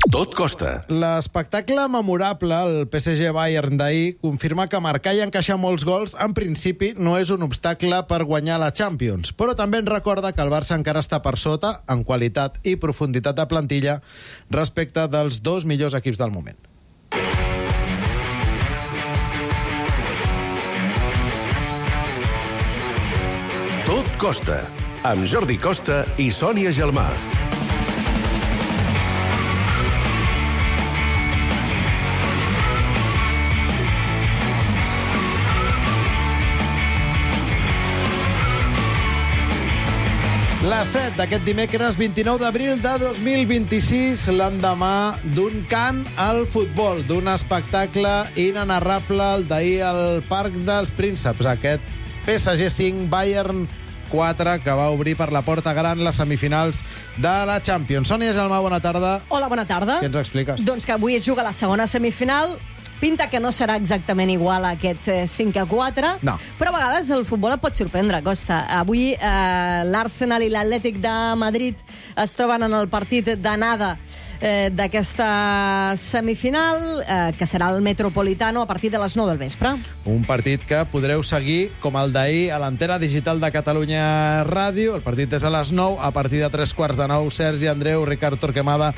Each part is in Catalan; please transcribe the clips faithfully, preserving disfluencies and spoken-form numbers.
Tot costa. L'espectacle memorable, el P S G Bayern d'ahir, confirma que marcar i encaixar molts gols, en principi, no és un obstacle per guanyar la Champions. Però també ens recorda que el Barça encara està per sota, en qualitat i profunditat de plantilla, respecte dels dos millors equips del moment. Tot costa, amb Jordi Costa i Sònia Gelmà. Les set d'aquest dimecres vint-i-nou d'abril de dos mil vint-i-sis, l'endemà d'un cant al futbol, d'un espectacle inenarrable, el d'ahir al Parc dels Prínceps, aquest P S G cinc, Bayern quatre, que va obrir per la porta gran les semifinals de la Champions. Sònia Gelmà, bona tarda. Hola, bona tarda. Què ens expliques? Doncs que avui es juga la segona semifinal. Pinta que no serà exactament igual a aquest cinc a quatre, no. Però a vegades el futbol et pot sorprendre, Costa. Avui eh, l'Arsenal i l'Atlètic de Madrid es troben en el partit d'anada eh, d'aquesta semifinal, eh, que serà el Metropolitano a partir de les nou del vespre. Un partit que podreu seguir, com el d'ahir, a l'antena digital de Catalunya Ràdio. El partit és a les nou, a partir de tres quarts de nou, Sergi Andreu, Ricard Torquemada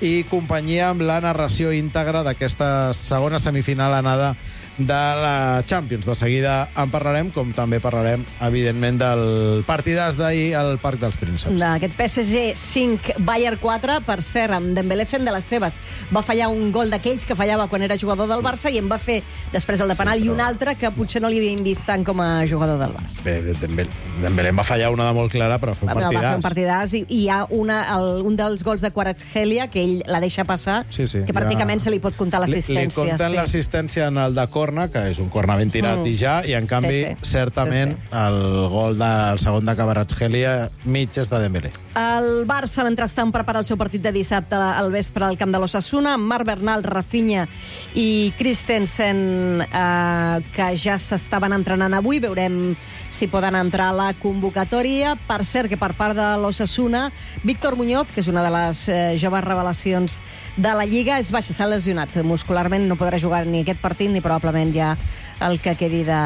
i companyia amb la narració íntegra d'aquesta segona semifinal anada de la Champions. De seguida en parlarem, com també parlarem, evidentment, del partidàs d'ahir al Parc dels Prínceps. D'aquest P S G cinc, Bayern quatre, per cert, amb Dembélé fent de les seves. Va fallar un gol d'aquells que fallava quan era jugador del Barça i en va fer després el de penal, sí, però... i un altre que potser no li havien vist tant com a jugador del Barça. Bé, Dembélé, Dembélé en va fallar una de molt clara, però fa un partidàs. Va fer un partidàs i, i hi ha una, el, un dels gols de Kvaratskhelia que ell la deixa passar, sí, sí, que pràcticament ja... se li pot comptar l'assistència. Li, li compten sí. l'assistència en el de corna, que és un corna ben tirat mm. i ja, i en canvi, sí, sí. certament, sí, sí. el gol del segon de Kvaratskhelia mig és de Dembélé. El Barça, mentrestant, prepara el seu partit de dissabte al vespre al camp de l'Osasuna, amb Marc Bernal, Rafinha i Christensen, eh, que ja s'estaven entrenant avui. Veurem si poden entrar a la convocatòria. Per cert, que per part de l'Osasuna, Víctor Muñoz, que és una de les eh, joves revelacions de la Lliga, és baixa, s'ha lesionat muscularment, no podrà jugar ni aquest partit ni probablement ja el que quedi de...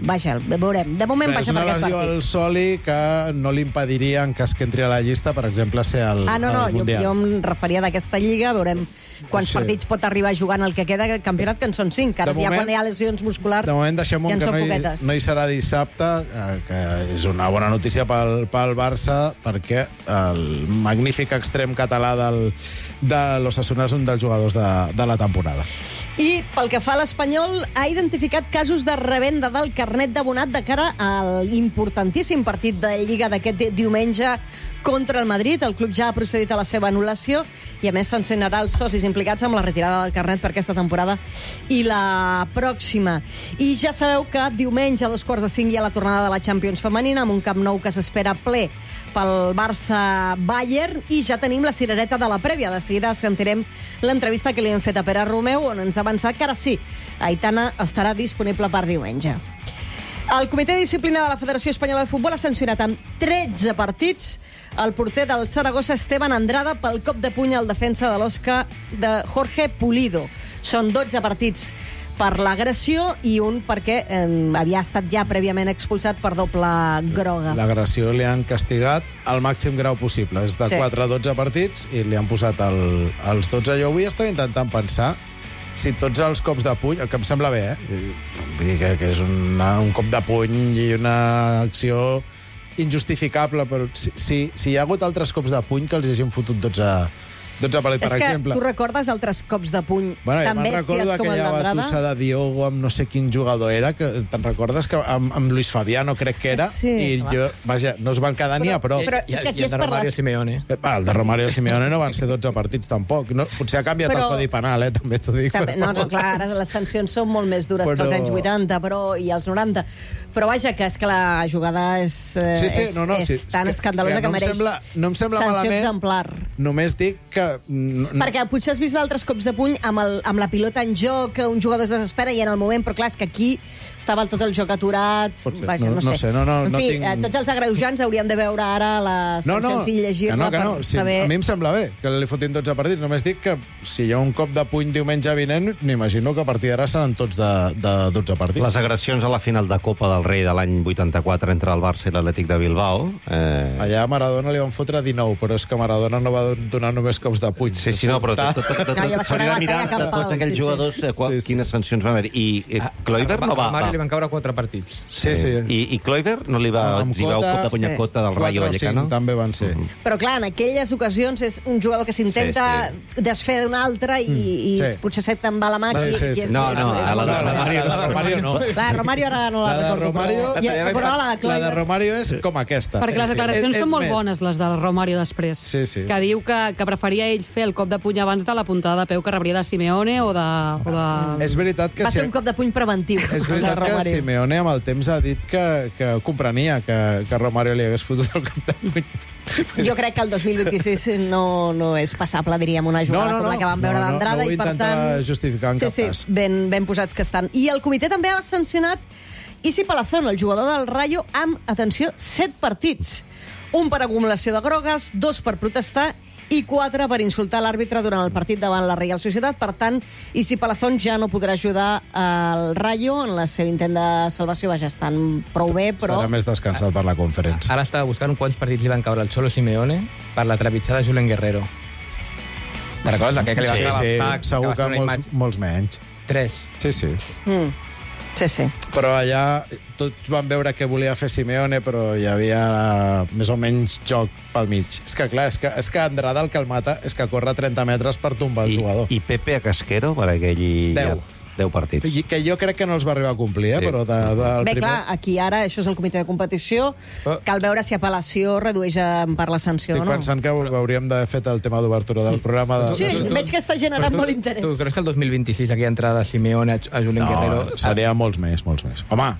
Vaja, veurem. De moment baixa per aquest partit. És una lesió al soli que no li impediria, en cas que entri a la llista, per exemple, ser el, ah, no, no, el Mundial. Jo, jo em referia d'aquesta Lliga, veurem quants sí. partits pot arribar a jugar en el que queda del campionat, que en són cinc. Ara ja quan hi ha lesions musculars, de moment deixem ja en que són no hi, poquetes. No hi serà dissabte, que és una bona notícia pel, pel Barça, perquè el magnífic extrem català del, de l'Osasuna és un dels jugadors de, de la temporada. I pel que fa a l'Espanyol, ha identificat casos de revenda del carnet d'abonat de cara a l'importantíssim partit de Lliga d'aquest diumenge contra el Madrid. El club ja ha procedit a la seva anul·lació i, a més, sancionarà els socis implicats amb la retirada del carnet per aquesta temporada i la pròxima. I ja sabeu que diumenge a dos quarts de cinc hi ha la tornada de la Champions femenina amb un Camp Nou que s'espera ple pel Barça-Bayern i ja tenim la cirereta de la prèvia. De seguida sentirem l'entrevista que li hem fet a Pere Romeu, on ens ha avançat que ara sí, Aitana estarà disponible per diumenge. El Comitè de Disciplina de la Federació Espanyola de Futbol ha sancionat amb tretze partits el porter del Saragossa, Esteban Andrada, pel cop de puny al defensa de l'Osca de Jorge Pulido. Són dotze partits per l'agressió i un perquè eh, havia estat ja prèviament expulsat per doble groga. L'agressió li han castigat al màxim grau possible. És de sí. quatre a dotze partits i li han posat el, els dotze. Jo avui estava intentant pensar si tots els cops de puny, el que em sembla bé, eh? Vull dir que, que és una, un cop de puny i una acció injustificable, però si, si, si hi ha hagut altres cops de puny que els hagin fotut dotze dotze partits, per exemple. És que tu recordes altres cops de puny bueno, tan bèsties com el d'Andrada? Bueno, jo me'n recordo aquella batussa de Diogo amb no sé quin jugador era, que te'n recordes que amb, amb Luis Fabiano crec que era, sí, i va. jo, vaja, no es van quedar però, ni a prop. Però, però és que aquí I el de Romario les... Simeone. Ah, el de Romario Simeone no van ser dotze partits tampoc. No, potser ha canviat però... el codi penal, eh, també t'ho dic. També, no, no, clar, ara les sancions són molt més dures però... que els anys vuitanta però, i els noranta. Però vaja, que és que la jugada és, eh, Sí, sí, és, no, no, és sí, tan que- escandalosa que que, no em mereix sembla- no em sembla sanció malament. exemplar. Només dic que... No, no- Perquè potser has vist altres cops de puny amb, el, amb la pilota en joc, que un jugador es desespera i en el moment, però clar, és que aquí estava tot el joc aturat. Pot ser, Vaja, no- no, no sé, no, no, en no fi, tinc- eh, tots els agreujants haurien de veure ara les No, no, sancions i que llegir-la no, que no. per Sí, saber... a mi em sembla bé que li fotin dotze partits. Només dic que si hi ha un cop de puny diumenge vinent, m'imagino que a partir d'ara seran tots de, de dotze partits. Les agressions a la final de Copa del Rei de l'any vuitanta-quatre entre el Barça i l'Atlètic de Bilbao... Eh... Allà a Maradona li van fotre dinou, però és que Maradona no va donar només cops de puny. Sí, sí, no, però tot, tot, tot, tot, No, ja va s'hauria ser de mirar una batalla de tots campal, aquells sí, sí. jugadors eh, qual, Sí, sí. quines sancions van haver. I eh, Kluivert no va... A Mario va. li van caure quatre partits. Sí, sí. I, I Kluivert no li va Amb exhibir un Cota, cop de puny a sí. Cota del Quatre Rayo o Vallecano? cinc també van ser. Però clar, en aquelles ocasions és un jugador que s'intenta Sí, desfer d'un altre i, i Sí. potser se't te'n va la mà. Sí, i, sí, i sí. és, No, és, no, és, a la de No, la, Romario la de Romario no. Clar, Romario ara no la, La de recordo. Romario- Però, ja, però la de La de Kluivert... Romario és com aquesta. Perquè les declaracions És- és són molt més. bones, les del Romario, després. Sí, sí. Que diu que, que preferia ell fer el cop de puny abans de la puntada de peu que rebria de Simeone o de... O de... És veritat que... Va si- ser un cop de puny preventiu. És el de veritat que Romario. Simeone amb el temps ha dit que, que comprenia que, que Romario li hagués fotut el cap de puny. Jo crec que el dos mil vint-i-sis no, no és passable, diríem, una jugada No, no, com la no. que vam veure No, no, d'entrada. no ho I per intenta tant... justificar en sí, cap sí, cas. ben, ben posats que estan. I el comitè també ha sancionat Isi Palazón, el jugador del Rayo, amb, atenció, set partits. Un per acumulació de grogues, dos per protestar i quatre per insultar l'àrbitre durant el partit davant la Real Societat. Per tant, Isi Palazón ja no podrà ajudar al Rayo en el seu intent de salvació. Vaja, estan prou bé, però... Estarà més descansat per la conferència. Ara estava buscant quants partits li van caure al Cholo Simeone per la trepitjada de Julen Guerrero. Te recordes? Aquell que li va Sí, caure sí, el tac, segur va que fer una molts, imatge. molts menys. Tres. Sí, sí. Mm. Sí, sí. Però allà tots van veure què volia fer Simeone, però hi havia uh, més o menys joc pel mig. És que, clar, és que, és que Andrada el que el mata és que corre trenta metres per tombar el I, jugador. I Pepe a Casquero, per aquell... Deu. Ja, deu partits. I que jo crec que no els va arribar a complir, eh? Sí. Però de, del Bé, primer... clar, aquí ara això és el comitè de competició. Oh. Cal veure si apel·lació redueix en part la sanció Estic o no. pensant que hauríem d'haver fet el tema d'obertura del programa. De... Sí, veig que està generant Però tu- molt interès. Tu creus que el dos mil vint-i-sis aquí entrada de Simeone a, a Julen No, Guerrero... seria molts més, molts més. Home,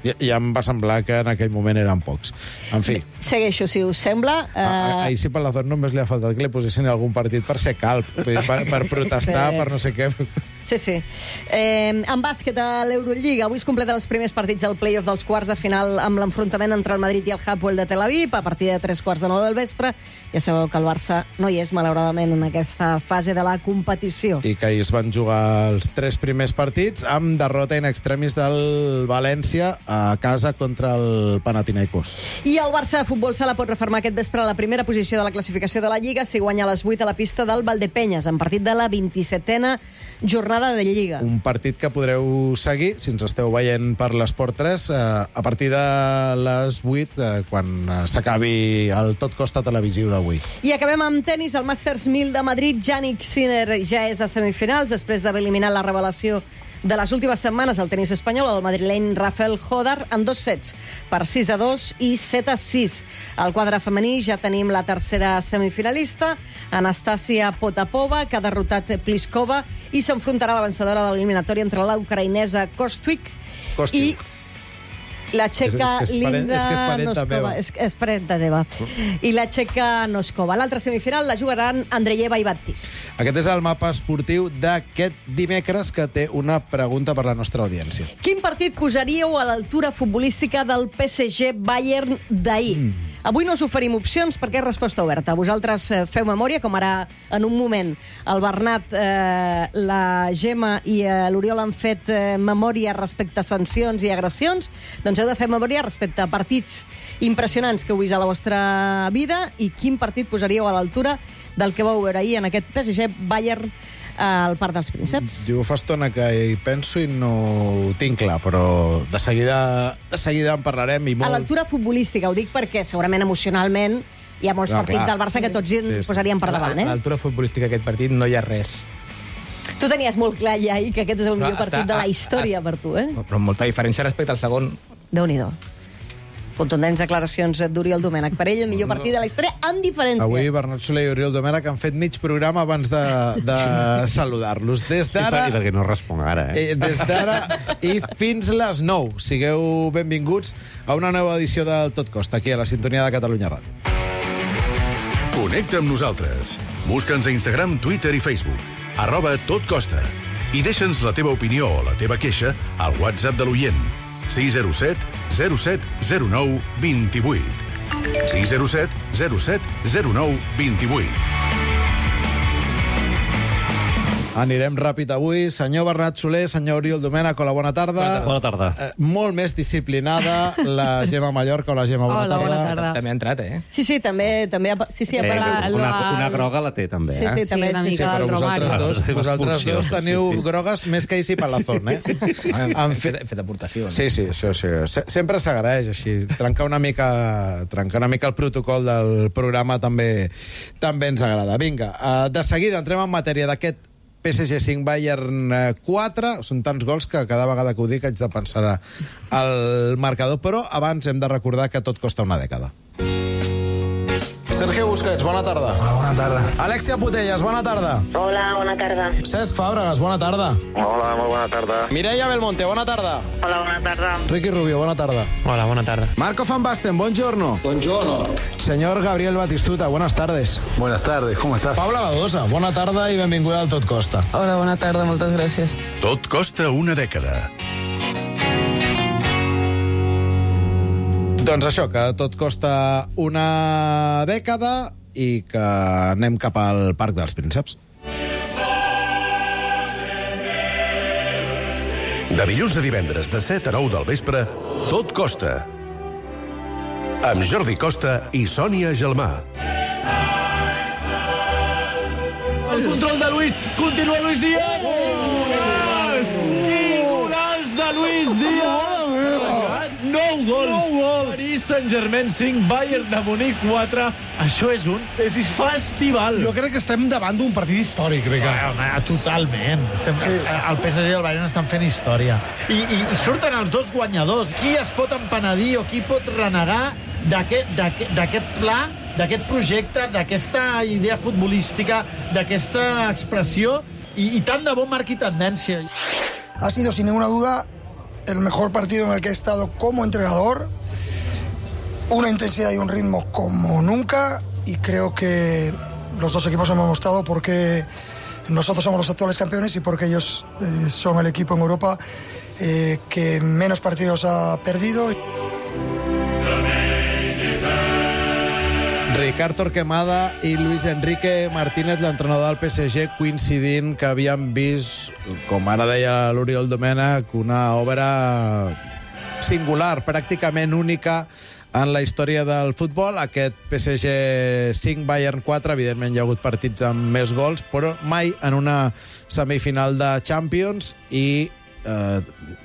ja, ja em va semblar que en aquell moment eren pocs. En fi, Segueixo, si us sembla. a, a, Eh, ahir sí per la zona només li ha faltat que li posessin algun partit per ser calp, vull dir, per, per protestar, Sí. per no sé què. Sí, sí. Eh, en bàsquet a l'Eurolliga, avui es completen els primers partits del play-off dels quarts de final amb l'enfrontament entre el Madrid i el Hapoel de Tel Aviv a partir de tres quarts de nou del vespre. Ja sabeu que el Barça no hi és, malauradament, en aquesta fase de la competició. I que ahir es van jugar els tres primers partits amb derrota in extremis del València a casa contra el Panathinaikos. I el Barça de futbol sala pot refermar aquest vespre a la primera posició de la classificació de la Lliga si guanya a les vuit a la pista del Valdepenyes, en partit de la vint-i-setena jornada de Lliga. Un partit que podreu seguir, si ens esteu veient per l'Esport tres, eh, a partir de les vuit, eh, quan eh, s'acabi el Tot Costa televisiu d'avui. I acabem amb tenis. El Masters mil de Madrid, Jannik Sinner ja és a semifinals, després d'haver eliminat la revelació de les últimes setmanes al tenis espanyol, el madrileny Rafael Hodar, en dos sets, per sis a dos i set a sis. Al quadre femení ja tenim la tercera semifinalista, Anastasia Potapova, que ha derrotat Pliskova i s'enfrontarà a la vencedora de l'eliminatòria entre la ucraïnesa Kostwick Kostwick. i la txeca És- és que és parent- Linda és que és parenta Noskova. meva. És, és parenta teva. I la txeca Noskova. L'altra semifinal la jugaran Andreyeva i Baptist. Aquest és el mapa esportiu d'aquest dimecres, que té una pregunta per la nostra audiència. Quin partit posaríeu a l'altura futbolística del P S G Bayern d'ahir? Mm. Avui no us oferim opcions perquè és resposta oberta. Vosaltres eh, feu memòria, com ara en un moment el Bernat, eh, la Gemma i eh, l'Oriol han fet eh, memòria respecte a sancions i agressions. Doncs heu de fer memòria respecte a partits impressionants que heu vist a la vostra vida i quin partit posaríeu a l'altura del que vau veure ahir en aquest P S G Bayern al Parc dels Prínceps. Diu, fa estona que hi penso i no ho tinc clar, però de seguida, de seguida en parlarem i A molt... l'altura futbolística, ho dic perquè segurament emocionalment hi ha molts No, partits clar. del Barça que tots ens Sí, sí. posaríem per davant, A eh? l'altura futbolística d'aquest partit no hi ha res. Tu tenies molt clar ja ahir que aquest és el millor Però partit està- de la ah, història ah, per tu, eh? Però amb molta diferència respecte al segon. Déu-n'hi-do. Contundents declaracions d'Oriol Domènech. Per ell, el millor partit de la història, amb diferència. Avui Bernat Soler i Oriol Domènech han fet mig programa abans de, de saludar-los. Des d'ara... I perquè no responc ara, eh? eh des d'ara i fins les nou. Sigueu benvinguts a una nova edició del Tot Costa, aquí a la sintonia de Catalunya Ràdio. Connecta amb nosaltres. Busca'ns a Instagram, Twitter i Facebook. Arroba Tot Costa. I deixa'ns la teva opinió o la teva queixa al WhatsApp de l'oient. sis zero set zero set zero nou dos vuit. sis zero set zero set zero nou dos vuit. Anirem ràpid avui. Senyor Bernat Soler, senyor Oriol Domènech, hola, bona tarda. Bona tarda. Eh, molt més disciplinada la Gemma Mallorca. Hola, Gemma, bona Hola, tarda. bona tarda. També ha entrat, eh? Sí, sí, també, també ha, sí, sí, ha Eh, parlat. una, una groga la té, també, Sí, eh? sí, també. Sí, una Sí, mica Sí, però el vosaltres Romario. dos, vosaltres Expulsió, dos teniu sí, sí. grogues més que Isi Palazón, eh? Han Han fet, fet... fet aportació. No? Sí, sí, això sí. Se- Sempre s'agraeix, així. Trencar una mica trencar una mica el protocol del programa també també ens agrada. Vinga, uh, de seguida entrem en matèria d'aquest P S G cinc, Bayern quatre. Són tants gols que cada vegada que ho dic haig de pensar al marcador, però abans hem de recordar que tot costa una dècada. Sergio Busquets, bona tarda. Hola, bona tarda. Alexia Putellas, bona tarda. Hola, bona tarda. Cesc Fàbregas, bona tarda. Hola, molt bona tarda. Mireia Belmonte, bona tarda. Hola, bona tarda. Ricky Rubio, bona tarda. Hola, bona tarda. Marco Van Basten, buongiorno. Buongiorno. Señor Gabriel Batistuta, buenas tardes. Buenas tardes, ¿cómo estás? Paula Badosa, bona tarda i benvinguda al Tot Costa. Hola, bona tarda, moltes gràcies. Tot costa una dècada. Doncs això, que tot costa una dècada i que anem cap al Parc dels Prínceps. De dilluns a divendres, de set a nou del vespre, Tot costa. Amb Jordi Costa i Sònia Gelmà. El control de Luis, continua Luis Díaz! Golaç! Quin golaç de Luis Díaz! Nou gols! Paris Saint-Germain cinc, Bayern de Munic quatre. Això és un festival. Jo crec que estem davant d'un partit històric, Ricard. Home, totalment. Estem, sí. El P S G i el Bayern estan fent història. I, i, i surten els dos guanyadors. Qui es pot empenedir o qui pot renegar d'aquest pla, d'aquest projecte, d'aquesta idea futbolística, d'aquesta expressió, i, i tant de bo marqui tendència. Ha sido, sin ninguna duda, el mejor partido en el que he estado como entrenador. Una intensidad y un ritmo como nunca, y creo que los dos equipos hemos mostrado porque nosotros somos los actuales campeones y porque ellos eh, son el equipo en Europa eh, que menos partidos ha perdido. Ricard Torquemada i Luis Enrique Martínez, l'entrenador del P S G, coincidint que havien vist, com ara deia l'Oriol Domènech, una obra singular, pràcticament única en la història del futbol. Aquest P S G cinc, Bayern quatre, evidentment hi ha hagut partits amb més gols, però mai en una semifinal de Champions, i eh,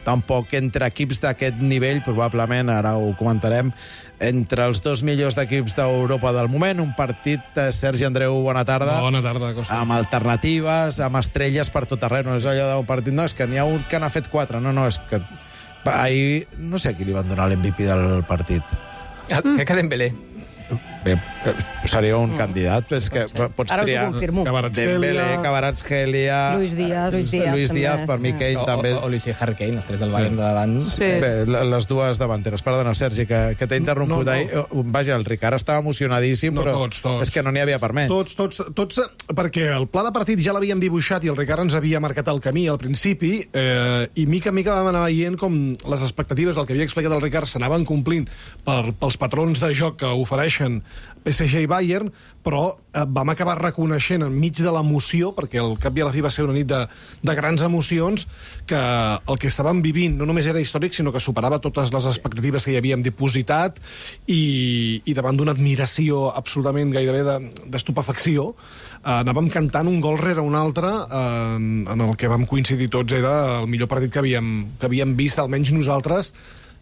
tampoc entre equips d'aquest nivell, probablement, ara ho comentarem, entre els dos millors d'equips d'Europa del moment. Un partit, eh, Sergi Andreu, bona tarda. Bona tarda, Costa. Amb alternatives, amb estrelles per tot arreu. No és allò d'un partit, no, és que n'hi ha un que n'ha fet quatre. No, no, és que ahir no sé a qui li van donar l'M V P del partit. Ah, mm. Crec que Dembélé. Bé, seria un mm. candidat, és que pots Ara triar. us ho confirmo. Dembélé, Kvaratskhelia, Luis Díaz, Luis Díaz, Luis també, Díaz per mi, sí. Kane O, també. o, o Luis i Harry Kane, els tres del Bayern de davant. Sí. Bé, les dues davanteres. Perdona, Sergi, que, que t'he interromput. No, no. Ahir. Vaja, el Ricard estava emocionadíssim, No, però tots, tots. és que no n'hi havia per menys. Tots, tots, tots, perquè el pla de partit ja l'havíem dibuixat i el Ricard ens havia marcat el camí al principi, eh, i mica en mica vam anar veient com les expectatives del que havia explicat el Ricard s'anaven complint per, pels patrons de joc que ofereixen P S G i Bayern, però eh, vam acabar reconeixent enmig de l'emoció, perquè al cap i a la fi va ser una nit de, de grans emocions, que el que estàvem vivint no només era històric, sinó que superava totes les expectatives que hi havíem dipositat, i, i davant d'una admiració absolutament gairebé d'estupefacció, eh, anàvem cantant un gol rere un altre, eh, en, en el que vam coincidir tots era el millor partit que havíem, que havíem vist, almenys nosaltres,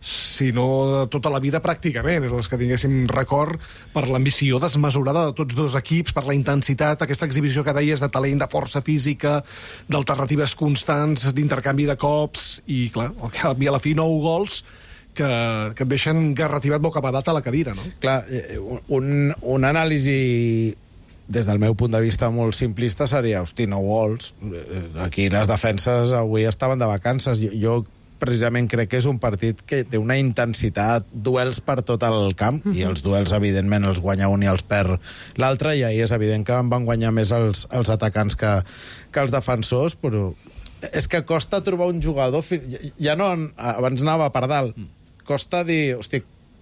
si no de tota la vida pràcticament, és els que tinguéssim record per l'ambició desmesurada de tots dos equips, per la intensitat, aquesta exhibició que deies de talent, de força física, d'alternatives constants, d'intercanvi de cops, i clar, al cap i a la fi nou gols que, que et deixen garrativat bocabadat a la cadira, no? Clar, un, un anàlisi des del meu punt de vista molt simplista seria, hosti, no gols. Aquí les defenses avui estaven de vacances. Jo, jo precisament crec que és un partit que té una intensitat, duels per tot el camp, mm-hmm. i els duels, evidentment, els guanya un i els perd l'altre, i ahir és evident que en van guanyar més els, els atacants que, que els defensors, però és que costa trobar un jugador... Ja no... Abans anava per dalt. Costa dir, hosti,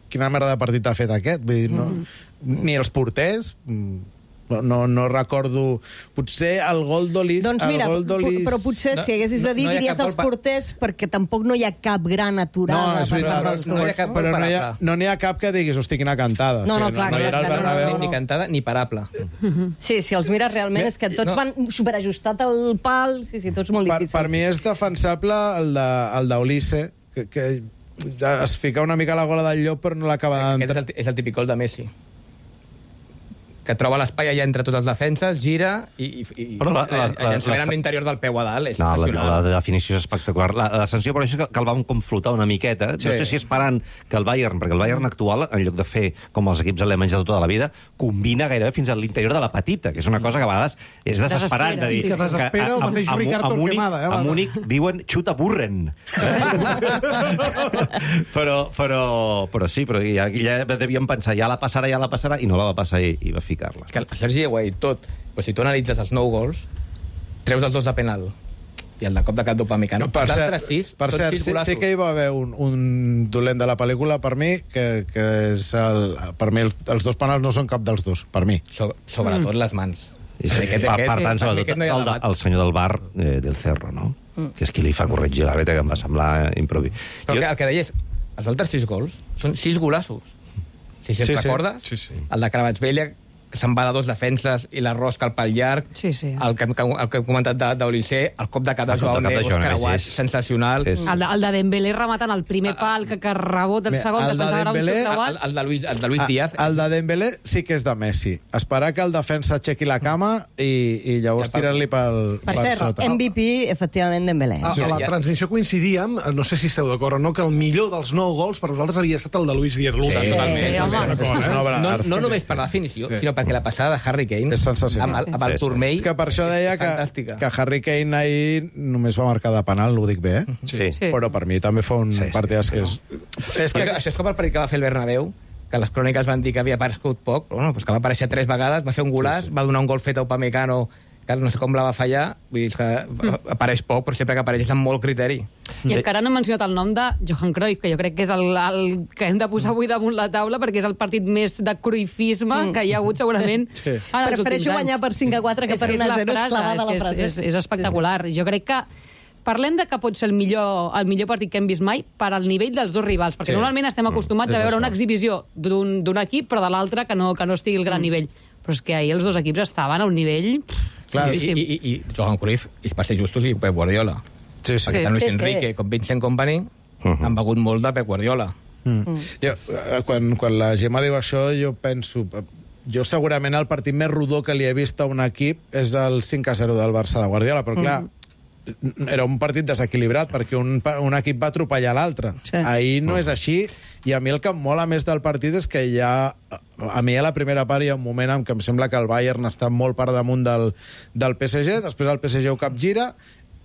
quina merda de partit ha fet aquest? Vull dir, no, mm. ni els porters... No, no, no recordo... Potser el gol d'Olis... Doncs mira, el gol d'Olis... però potser no, si haguessis de dir, no, no diries els porters, perquè tampoc no hi ha cap gran aturada. No, és veritat, per no, no, hi ha cap, però no hi ha, no n'hi ha cap que diguis, hosti, quina cantada. No, no, o sigui, clar, no, clar, no, clar, clar, no, no, ni cantada ni parable. Sí, si els mires realment és que tots no. van superajustat al pal, sí, sí, tots molt difícils. Per, per mi és defensable el d'Olise, que, que es fica una mica a la gola del llop però no l'acaba d'entrar. Aquest és el, és el típic gol de Messi, que troba l'espai allà entre totes les defenses, gira i, i, i però la, la, la, llançament amb l'interior del peu a dalt és no, sensacional. La, la definició és espectacular. La, la sanció, però, és que, que el vam com flotar una miqueta. Sí. No sé si esperant que el Bayern, perquè el Bayern actual, en lloc de fer com els equips alemanys de tota la vida, combina gairebé fins a l'interior de la petita, que és una cosa que a vegades és desesperant. De dir, que desespera el mateix Ricard Torquemada. A Múnich diuen xuta burren. però, però, però sí, però ja, ja devíem pensar, ja la passarà, ja la passarà, i no la va passar i, i va ficar-la. És que el Sergi ho ha dit tot. Però si tu analitzes els nou gols, treus els dos de penal i el de cop de cap d'Upamecano. No, per cert, sis, per cert sí, sí que hi va haver un, un dolent de la pel·lícula per mi, que, que és el, per mi el, els dos penals no són cap dels dos, per mi. So, sobretot mm. les mans. Sí, sí, aquest, per, per tant, sobretot no el, el senyor del bar eh, del Cerro, no? Mm. Que és qui li fa corregir l'àrbitre, que em va semblar improvi. Però jo... el que deia és, els altres sis gols són sis golassos. Si se'n sí, recordes, sí, sí. el de Cravatsvella, que se'n va de dos defenses i la rosca al pal llarg, sí, sí. El, que, el que hem comentat d'Olise, el cop de cap de Joao Neves, creuat, és... sensacional. És... El, de, el de Dembélé rematant el primer pal, que, que rebota el segon, el que es pensava Dembélé, un xut creuat. El, el, de Luis, el de Luis Díaz. El de Dembélé sí que és de Messi. Esperar que el defensa aixequi la cama i, i llavors tirar-li pel, per pel cert, sota. M V P, efectivament, Dembélé. A, a la transmissió coincidíem, no sé si esteu d'acord o no, que el millor dels nou gols per vosaltres havia estat el de Luis Díaz. Sí, sí, sí, no, no només per la definició, sinó perquè la passada de Harry Kane és sensacional. amb el, amb el turmell és que per això deia que, que Harry Kane ahir només va marcar de penal, ho dic bé, eh? Sí. Sí. Però per mi també fa un sí, partidàs sí, que és... és que... Això és com el partit que va fer el Bernabéu, que les cròniques van dir que havia aparegut poc, però bueno, pues que va aparèixer tres vegades, va fer un golaç, sí, sí. va donar un gol fet a Upamecano, que no sé com la va fallar, vull dir que mm. apareix poc, però sempre que apareix és amb molt criteri. I encara no he mencionat el nom de Johan Cruyff, que jo crec que és el, el que hem de posar avui damunt la taula, perquè és el partit més de cruyffisme mm. que hi ha hagut segurament sí. Prefereixo guanyar per cinc a quatre que per una a zero, és clavada la frase. És, és, és espectacular. Sí. Jo crec que parlem de que pot ser el millor, el millor partit que hem vist mai per al nivell dels dos rivals, perquè sí. normalment estem acostumats mm. a veure una exhibició d'un equip, però de l'altre que, no, que no estigui al gran mm. nivell. Però és que ahir els dos equips estaven a un nivell... Clar, i, i, i, i Johan Cruyff, i per ser justos, i Pep Guardiola. Sí, sí. Perquè tant Luis sí, Enrique sí. com Vincent Kompany uh -huh. han begut molt de Pep Guardiola. Mm. Mm. Jo, quan, quan la Gemma diu això, jo penso... Jo segurament el partit més rodó que li he vist a un equip és el cinc a zero del Barça de Guardiola, però clar... Mm. Era un partit desequilibrat perquè un, un equip va atropellar l'altre. Sí. Ahir no és així, i a mi el que em mola més del partit és que hi ha... A mi a la primera part hi ha un moment en què em sembla que el Bayern està molt per damunt del, del P S G, després el P S G ho capgira,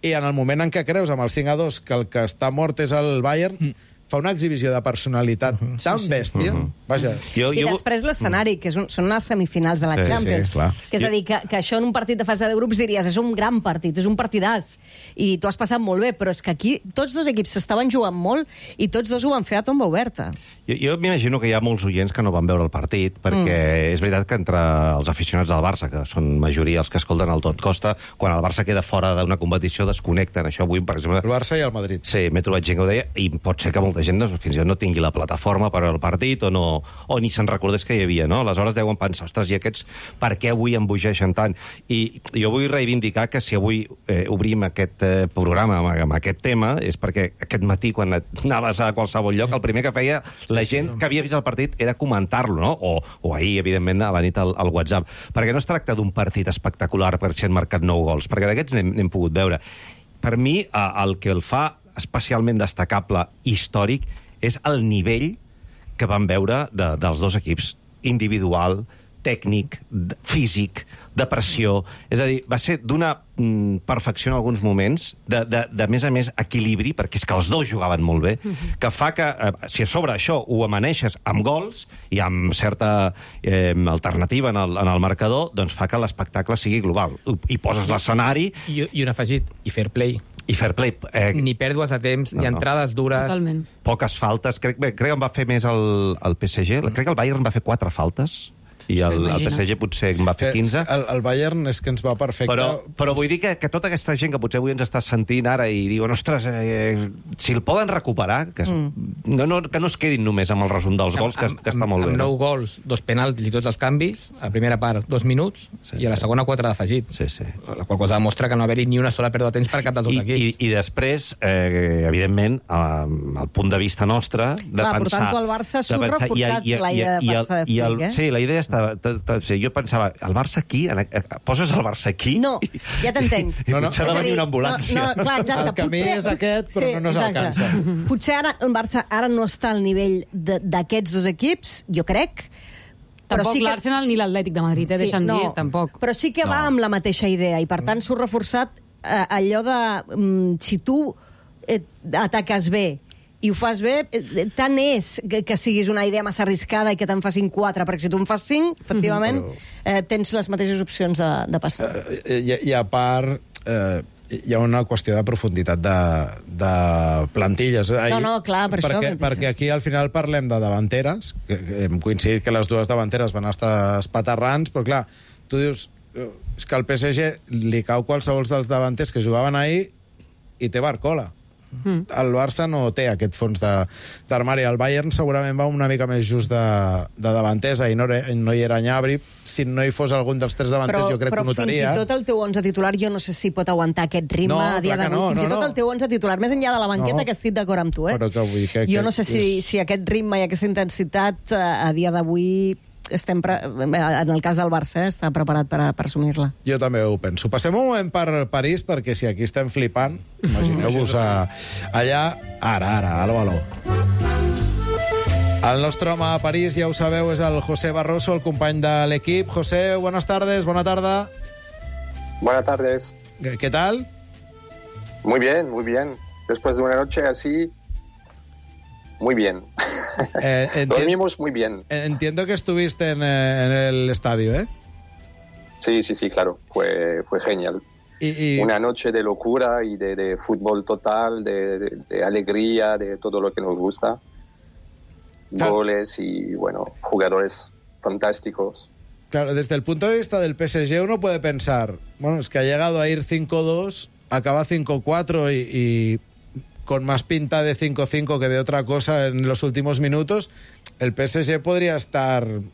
i en el moment en què creus, amb el cinc a dos, que el que està mort és el Bayern, mm. fa una exhibició de personalitat uh -huh. tan sí, bèstia. Uh -huh. Vaja. Jo, I jo... després l'escenari, que és un, són unes semifinals de la sí, Champions. Sí, que és a dir, que, que això en un partit de fase de grups diries és un gran partit, és un partidàs, i tu has passat molt bé, però és que aquí tots dos equips s'estaven jugant molt i tots dos ho van fer a tomba oberta. Jo, jo m'imagino que hi ha molts oients que no van veure el partit, perquè mm. és veritat que entre els aficionats del Barça, que són majoria els que escolten el Tot Costa, quan el Barça queda fora d'una competició desconnecten. Això avui, per exemple... El Barça i el Madrid. Sí, m'he trobat gent que ho deia, i pot ser que molta gent doncs, fins i tot no tingui la plataforma per al partit o, no, o ni se'n recordés que hi havia, no? Aleshores deuen pensar, ostres, i aquests per què avui embogeixen tant? I jo vull reivindicar que si avui eh, obrim aquest eh, programa amb, amb aquest tema és perquè aquest matí, quan anaves a qualsevol lloc, el primer que feia la gent sí, sí, que havia vist el partit era comentar-lo, no? O, o ahir, evidentment, a la nit al, al WhatsApp. Perquè no es tracta d'un partit espectacular per si han marcat nou gols, perquè d'aquests n'hem pogut veure. Per mi, eh, el que el fa especialment destacable, històric, és el nivell que vam veure de, dels dos equips, individual, tècnic, físic, de pressió. És a dir, va ser d'una mm, perfecció en alguns moments, de, de, de més a més equilibri, perquè és que els dos jugaven molt bé, uh-huh. que fa que, eh, si a sobre això ho amaneixes amb gols i amb certa eh, alternativa en el, en el marcador, doncs fa que l'espectacle sigui global. I poses l'escenari... I, I un afegit, i fair play. I fair play. Eh... Ni pèrdues de temps, no, ni entrades no. dures. Totalment. Poques faltes. Crec, bé, crec que en va fer més el, el P S G. Mm. Crec que el Bayern va fer quatre faltes. I el, el P S G potser en va fer quinze. El, el Bayern és que ens va perfecte. Però, però vull dir que, que tota aquesta gent que potser avui ens està sentint ara i diuen, ostres, eh, si el poden recuperar, que, es, mm. no, no, que no es quedin només amb el resum dels gols, que, que està molt amb, bé. Amb nou gols, dos penaltis i tots els canvis, a la primera part dos minuts, sí, i a la segona quatre d'afegit. Sí, sí. La qual cosa demostra que no haver-hi ni una sola pèrdua de temps per cap dels dos I, equips. I, i després, eh, evidentment, eh, el punt de vista nostre, de Clar, pensar... Clar, portant-ho al Barça s'ho reforçat la idea de Barça de Flick, eh? Sí, la idea està... T, t, t, jo pensava, el Barça aquí? Poses el Barça aquí? No, ja t'entenc. I no, no. Potser ha de venir una ambulància. No, no, clar, exacte. El camí potser, és aquest, però sí, no, no s'alcança. Potser ara el Barça ara no està al nivell d'aquests dos equips, jo crec. Tampoc sí que... l'Arsenal ni l'Atlètic de Madrid, eh, sí, deixa'm no, dir, tampoc. Però sí que va no. amb la mateixa idea, i per tant s'ho reforçat eh, allò de mm, si tu eh, ataques bé i ho fas bé, tant és que, que siguis una idea massa arriscada i que te'n facin quatre, perquè si tu en fas cinc, efectivament, mm-hmm. eh, tens les mateixes opcions de, de passar. Eh, i, I a part, eh, hi ha una qüestió de profunditat de, de plantilles. No, no, clar, per perquè, això. Perquè aquí al final parlem de davanteres, que, que hem coincidit que les dues davanteres van estar espaterrants, però clar, tu dius, és que al P S G li cau qualsevol dels davanters que jugaven ahir i té Barcola. Mm. El Barça no té aquest fons d'armari. El Bayern segurament va una mica més just de, de davantesa i no, no hi era Gnabry. Si no hi fos algun dels tres davanters, però, jo crec que ho notaria. Però fins i tot el teu onze titular jo no sé si pot aguantar aquest ritme no, a dia d'avui. No, fins no, i tot no. el teu onze titular, més enllà de la banqueta, no. que estic d'acord amb tu. Eh? Però que vull que, jo no sé que si, és... si aquest ritme i aquesta intensitat a dia d'avui estem pre... en el cas del Barça eh, està preparat per, a, per assumir-la. Jo també ho penso. Passem un moment per París, perquè si aquí estem flipant, imagineu-vos a, allà, ara, ara, aló, aló. El nostre home a París, ja ho sabeu, és el José Barroso, el company de l'equip. José, buenas tardes, bona tarda. Buenas tardes. ¿Qué, ¿Qué tal? Muy bien, muy bien. Después de una noche así, muy bien. Eh, Dormimos muy bien. Entiendo que estuviste en, en el estadio, ¿eh? Sí, sí, sí, claro. Fue, fue genial. Y, y... Una noche de locura y de, de fútbol total, de, de, de alegría, de todo lo que nos gusta. Claro. Goles y, bueno, jugadores fantásticos. Claro, desde el punto de vista del P S G uno puede pensar, bueno, es que ha llegado a ir cinco dos, acaba cinco cuatro y... y... con más pinta de cinco cinco que de otra cosa en los últimos minutos, el P S G podría estar un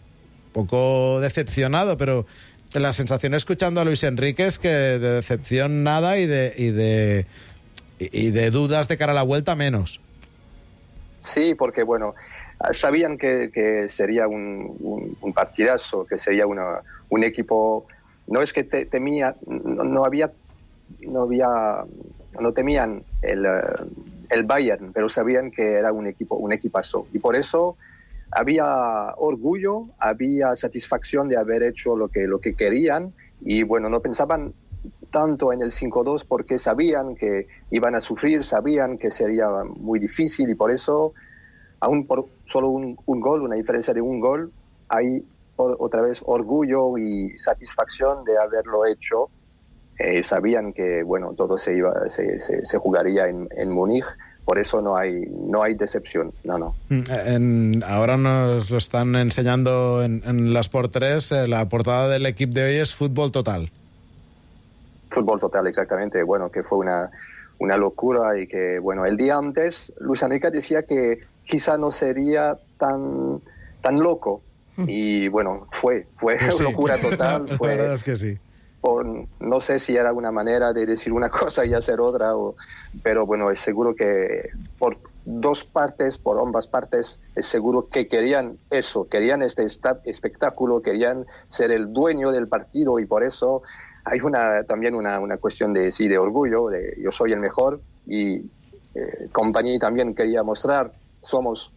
poco decepcionado, pero la sensación escuchando a Luis Enrique es que de decepción nada y de, y de, y de dudas de cara a la vuelta menos. Sí, porque bueno, sabían que, que sería un, un, un partidazo, que sería una, un equipo, no es que te, temía, no, no había, no había... no temían el, el Bayern, pero sabían que era un equipo, un equipazo. Y por eso había orgullo, había satisfacción de haber hecho lo que, lo que querían. Y bueno, no pensaban tanto en el cinco dos porque sabían que iban a sufrir, sabían que sería muy difícil. Y por eso, aún por solo un, un gol, una diferencia de un gol, hay otra vez orgullo y satisfacción de haberlo hecho. Eh, sabían que bueno todo se iba se, se, se jugaría en, en Múnich, por eso no hay no hay decepción, no no. En, ahora nos lo están enseñando en, en la Sport tres, eh, la portada del equipo de hoy es Fútbol Total. Fútbol Total, exactamente. Bueno, que fue una una locura y que bueno el día antes Luis Enrique decía que quizá no sería tan tan loco mm. y bueno fue fue pues sí. locura total. Fue, la verdad es que sí. Por, no sé si era una manera de decir una cosa y hacer otra, o, pero bueno, es seguro que por dos partes, por ambas partes, es seguro que querían eso, querían este espectáculo, querían ser el dueño del partido y por eso hay una también una, una cuestión de, sí, de orgullo, de yo soy el mejor y eh, Kompany también quería mostrar somos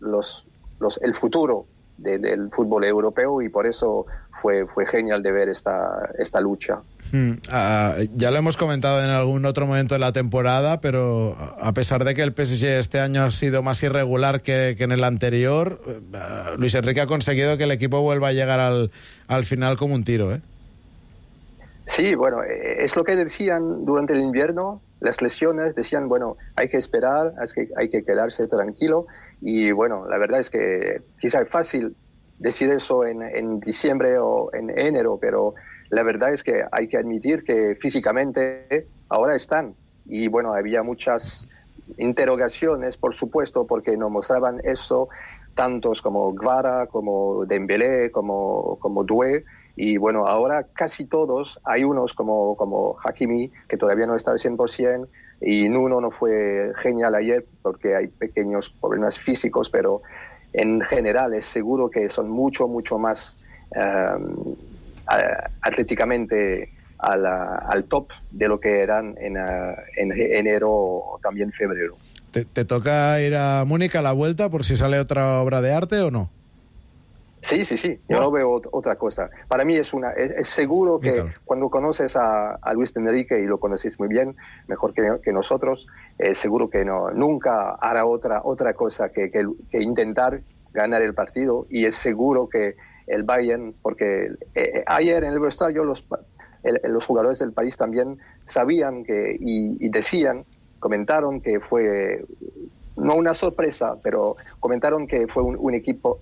los, los, el futuro de, del fútbol europeo y por eso fue, fue genial de ver esta, esta lucha. Hmm. Uh, ya lo hemos comentado en algún otro momento de la temporada, pero a pesar de que el P S G este año ha sido más irregular que, que en el anterior, uh, Luis Enrique ha conseguido que el equipo vuelva a llegar al, al final como un tiro, ¿eh? Sí, bueno, es lo que decían durante el invierno, las lesiones, decían, bueno, hay que esperar, hay que, hay que quedarse tranquilo. Y bueno, la verdad es que quizá es fácil decir eso en, en diciembre o en enero, pero la verdad es que hay que admitir que físicamente ahora están. Y bueno, había muchas interrogaciones, por supuesto, porque nos mostraban eso, tantos como Gvara, como Dembélé, como, como Doué. Y bueno, ahora casi todos, hay unos como, como Hakimi, que todavía no está al cien por ciento, y Nuno no fue genial ayer porque hay pequeños problemas físicos, pero en general es seguro que son mucho, mucho más um, atléticamente a la, al top de lo que eran en, uh, en enero o también febrero. ¿Te, ¿Te toca ir a Múnich a la vuelta por si sale otra obra de arte o no? Sí, sí, sí. Yo no veo otra cosa. Para mí es una es, es seguro que cuando conoces a, a Luis Enrique, y lo conocéis muy bien, mejor que, que nosotros, es seguro que no nunca hará otra otra cosa que, que, que intentar ganar el partido. Y es seguro que el Bayern, porque eh, ayer en el vestuario los, el, los jugadores del país también sabían que y, y decían, comentaron que fue, no una sorpresa, pero comentaron que fue un, un equipo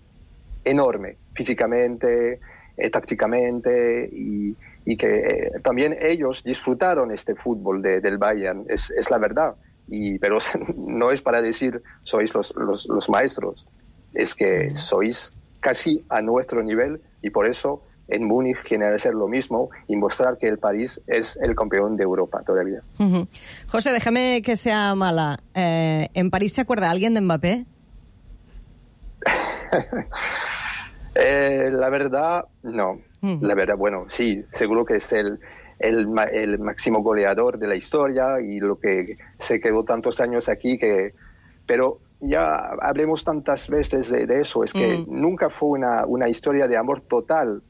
enorme, físicamente, eh, tácticamente, y, y que eh, también ellos disfrutaron este fútbol de, del Bayern, es, es la verdad. Y, pero no es para decir sois los, los, los maestros, es que sois casi a nuestro nivel, y por eso en Múnich quieren hacer lo mismo y mostrar que el París es el campeón de Europa todavía. Uh-huh. José, déjame que sea mala. Eh, ¿En París se acuerda alguien de Mbappé? eh, la verdad, no. Mm. La verdad, bueno, sí, seguro que es el, el, el máximo goleador de la historia y lo que se quedó tantos años aquí, que pero ya hablemos tantas veces de, de eso, es que mm. nunca fue una, una historia de amor total,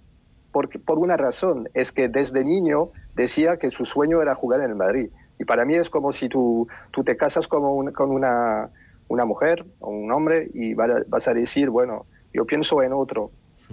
porque, por una razón, es que desde niño decía que su sueño era jugar en el Madrid. Y para mí es como si tú, tú te casas como un, con una... una mujer o un hombre y vas a decir, bueno, yo pienso en otro.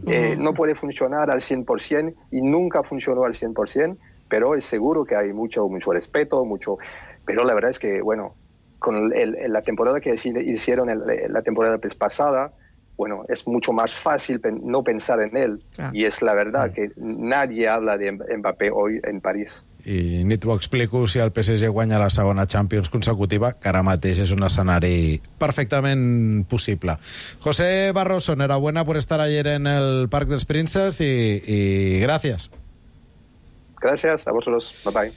Eh, no puede funcionar al cien por ciento y nunca funcionó al cien por ciento, pero es seguro que hay mucho, mucho respeto, mucho... Pero la verdad es que, bueno, con el, el, la temporada que hicieron el, la temporada pasada, bueno, es mucho más fácil pen, no pensar en él. Ah. Y es la verdad mm. que nadie habla de Mbappé hoy en París. I ni t'ho explico si el P S G guanya la segona Champions consecutiva, que ara mateix és un escenari perfectament possible. José Barroso, enhorabuena por estar ayer en el Parc dels Princes y, y gracias. Gracias a vosotros. Bye bye.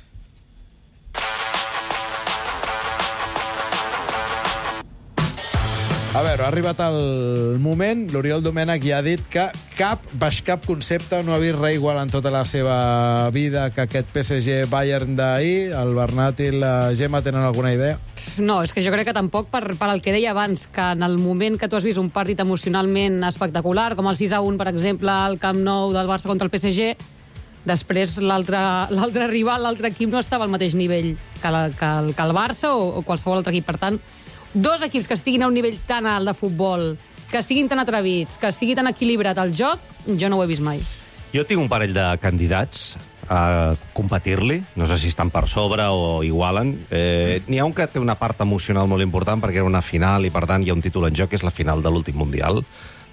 A veure, ha arribat el moment. L'Oriol Domènech ja ha dit que cap, baix cap concepte, no ha vist res igual en tota la seva vida que aquest P S G Bayern d'ahir. El Bernat i la Gemma tenen alguna idea? No, és que jo crec que tampoc, per, per el que deia abans, que en el moment que tu has vist un partit emocionalment espectacular, com el sis a un, per exemple, al Camp Nou del Barça contra el P S G, després l'altre rival, l'altre equip no estava al mateix nivell que, la, que, el, que el Barça o, o qualsevol altre equip. Per tant, dos equips que estiguin a un nivell tan alt de futbol, que siguin tan atrevits, que sigui tan equilibrat el joc, jo no ho he vist mai. Jo tinc un parell de candidats a competir-li, no sé si estan per sobre o igualen. Eh, N'hi ha un que té una part emocional molt important perquè era una final i, per tant, hi ha un títol en joc, que és la final de l'últim Mundial.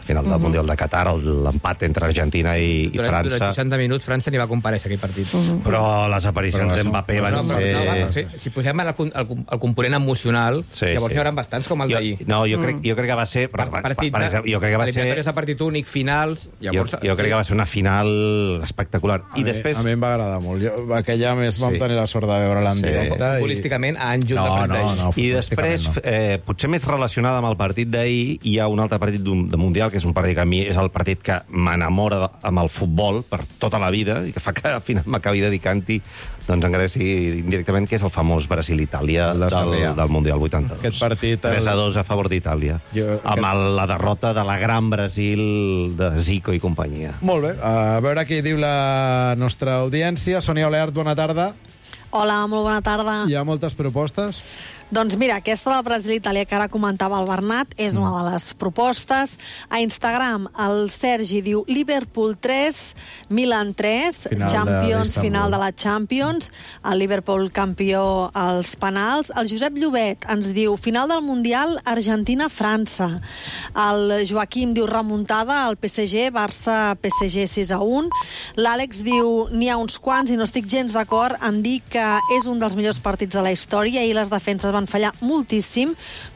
Final del uh-huh. Mundial de Qatar, l'empat entre Argentina i, i durant, França. Durant seixanta minuts França n'hi va comparèixer aquell partit. Uh-huh. Però les aparicions d'Mbappé van no, ser... No, va, sí. Si posem el, el, el component emocional, sí, llavors sí. Hi haurà bastants com el d'ahir. No, jo crec, jo crec que va ser... Per, partit, per, per, jo crec que va ser... de partit únic, finals... Llavors, jo, jo crec sí. que va ser una final espectacular. A, I mi, després... a mi em va agradar molt. Jo, aquella més vam sí. tenir la sort de veure-la en sí. directe. Futbolísticament, a Anjut no, de no, no, I després, no. eh, potser més relacionada amb el partit d'ahir, hi ha un altre partit de Mundial, que és és un partit que a mi és el partit que m'enamora amb el futbol per tota la vida i que fa que al final m'acabi dedicant-hi, doncs encara sigui indirectament, que és el famós Brasil-Itàlia El de del, Sarrià. del Mundial vuitanta-dos. Aquest partit, el- tres a dos a favor d'Itàlia. Jo- Amb el, la derrota de la gran Brasil de Zico i companyia. Molt bé, a veure què diu la nostra audiència. Sònia Oleart, bona tarda. Hola, molt bona tarda. Hi ha moltes propostes? Doncs mira, aquesta del Brasil-Itàlia que ara comentava el Bernat és una de les propostes. A Instagram el Sergi diu Liverpool tres, Milan tres, Final de Champions, l'Istanbul. final de la Champions, el Liverpool campió als penals. El Josep Llobet ens diu final del Mundial Argentina-França. El Joaquim diu remuntada al P S G, Barça-P S G sis a un. L'Àlex diu n'hi ha uns quants i no estic gens d'acord en dir que és un dels millors partits de la història i les defenses van fallar moltíssim,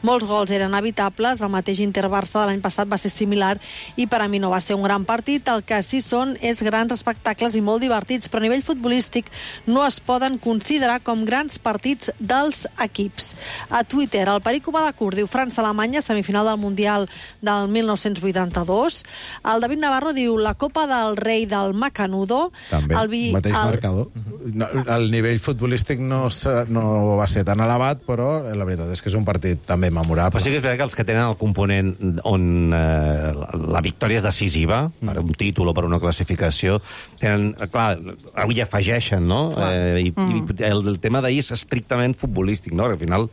molts gols eren evitables, el mateix Inter-Barça de l'any passat va ser similar i per a mi no va ser un gran partit, el que sí són és grans espectacles i molt divertits, però a nivell futbolístic no es poden considerar com grans partits dels equips. A Twitter, el Perico Badacur diu França-Alemanya, semifinal del Mundial del mil nou-cents vuitanta-dos. El David Navarro diu la Copa del Rei del Macanudo. També, el vi, mateix el... marcador. No, el nivell futbolístic no, se- no va ser tan elevat, però la veritat és que és un partit també memorable. Però sí que és veritat que els que tenen el component on eh, la, la victòria és decisiva, per un títol o per una classificació, tenen, clar, avui afegeixen, no? Eh, i, Mm. i el, el tema d'ahir és estrictament futbolístic, no? Al final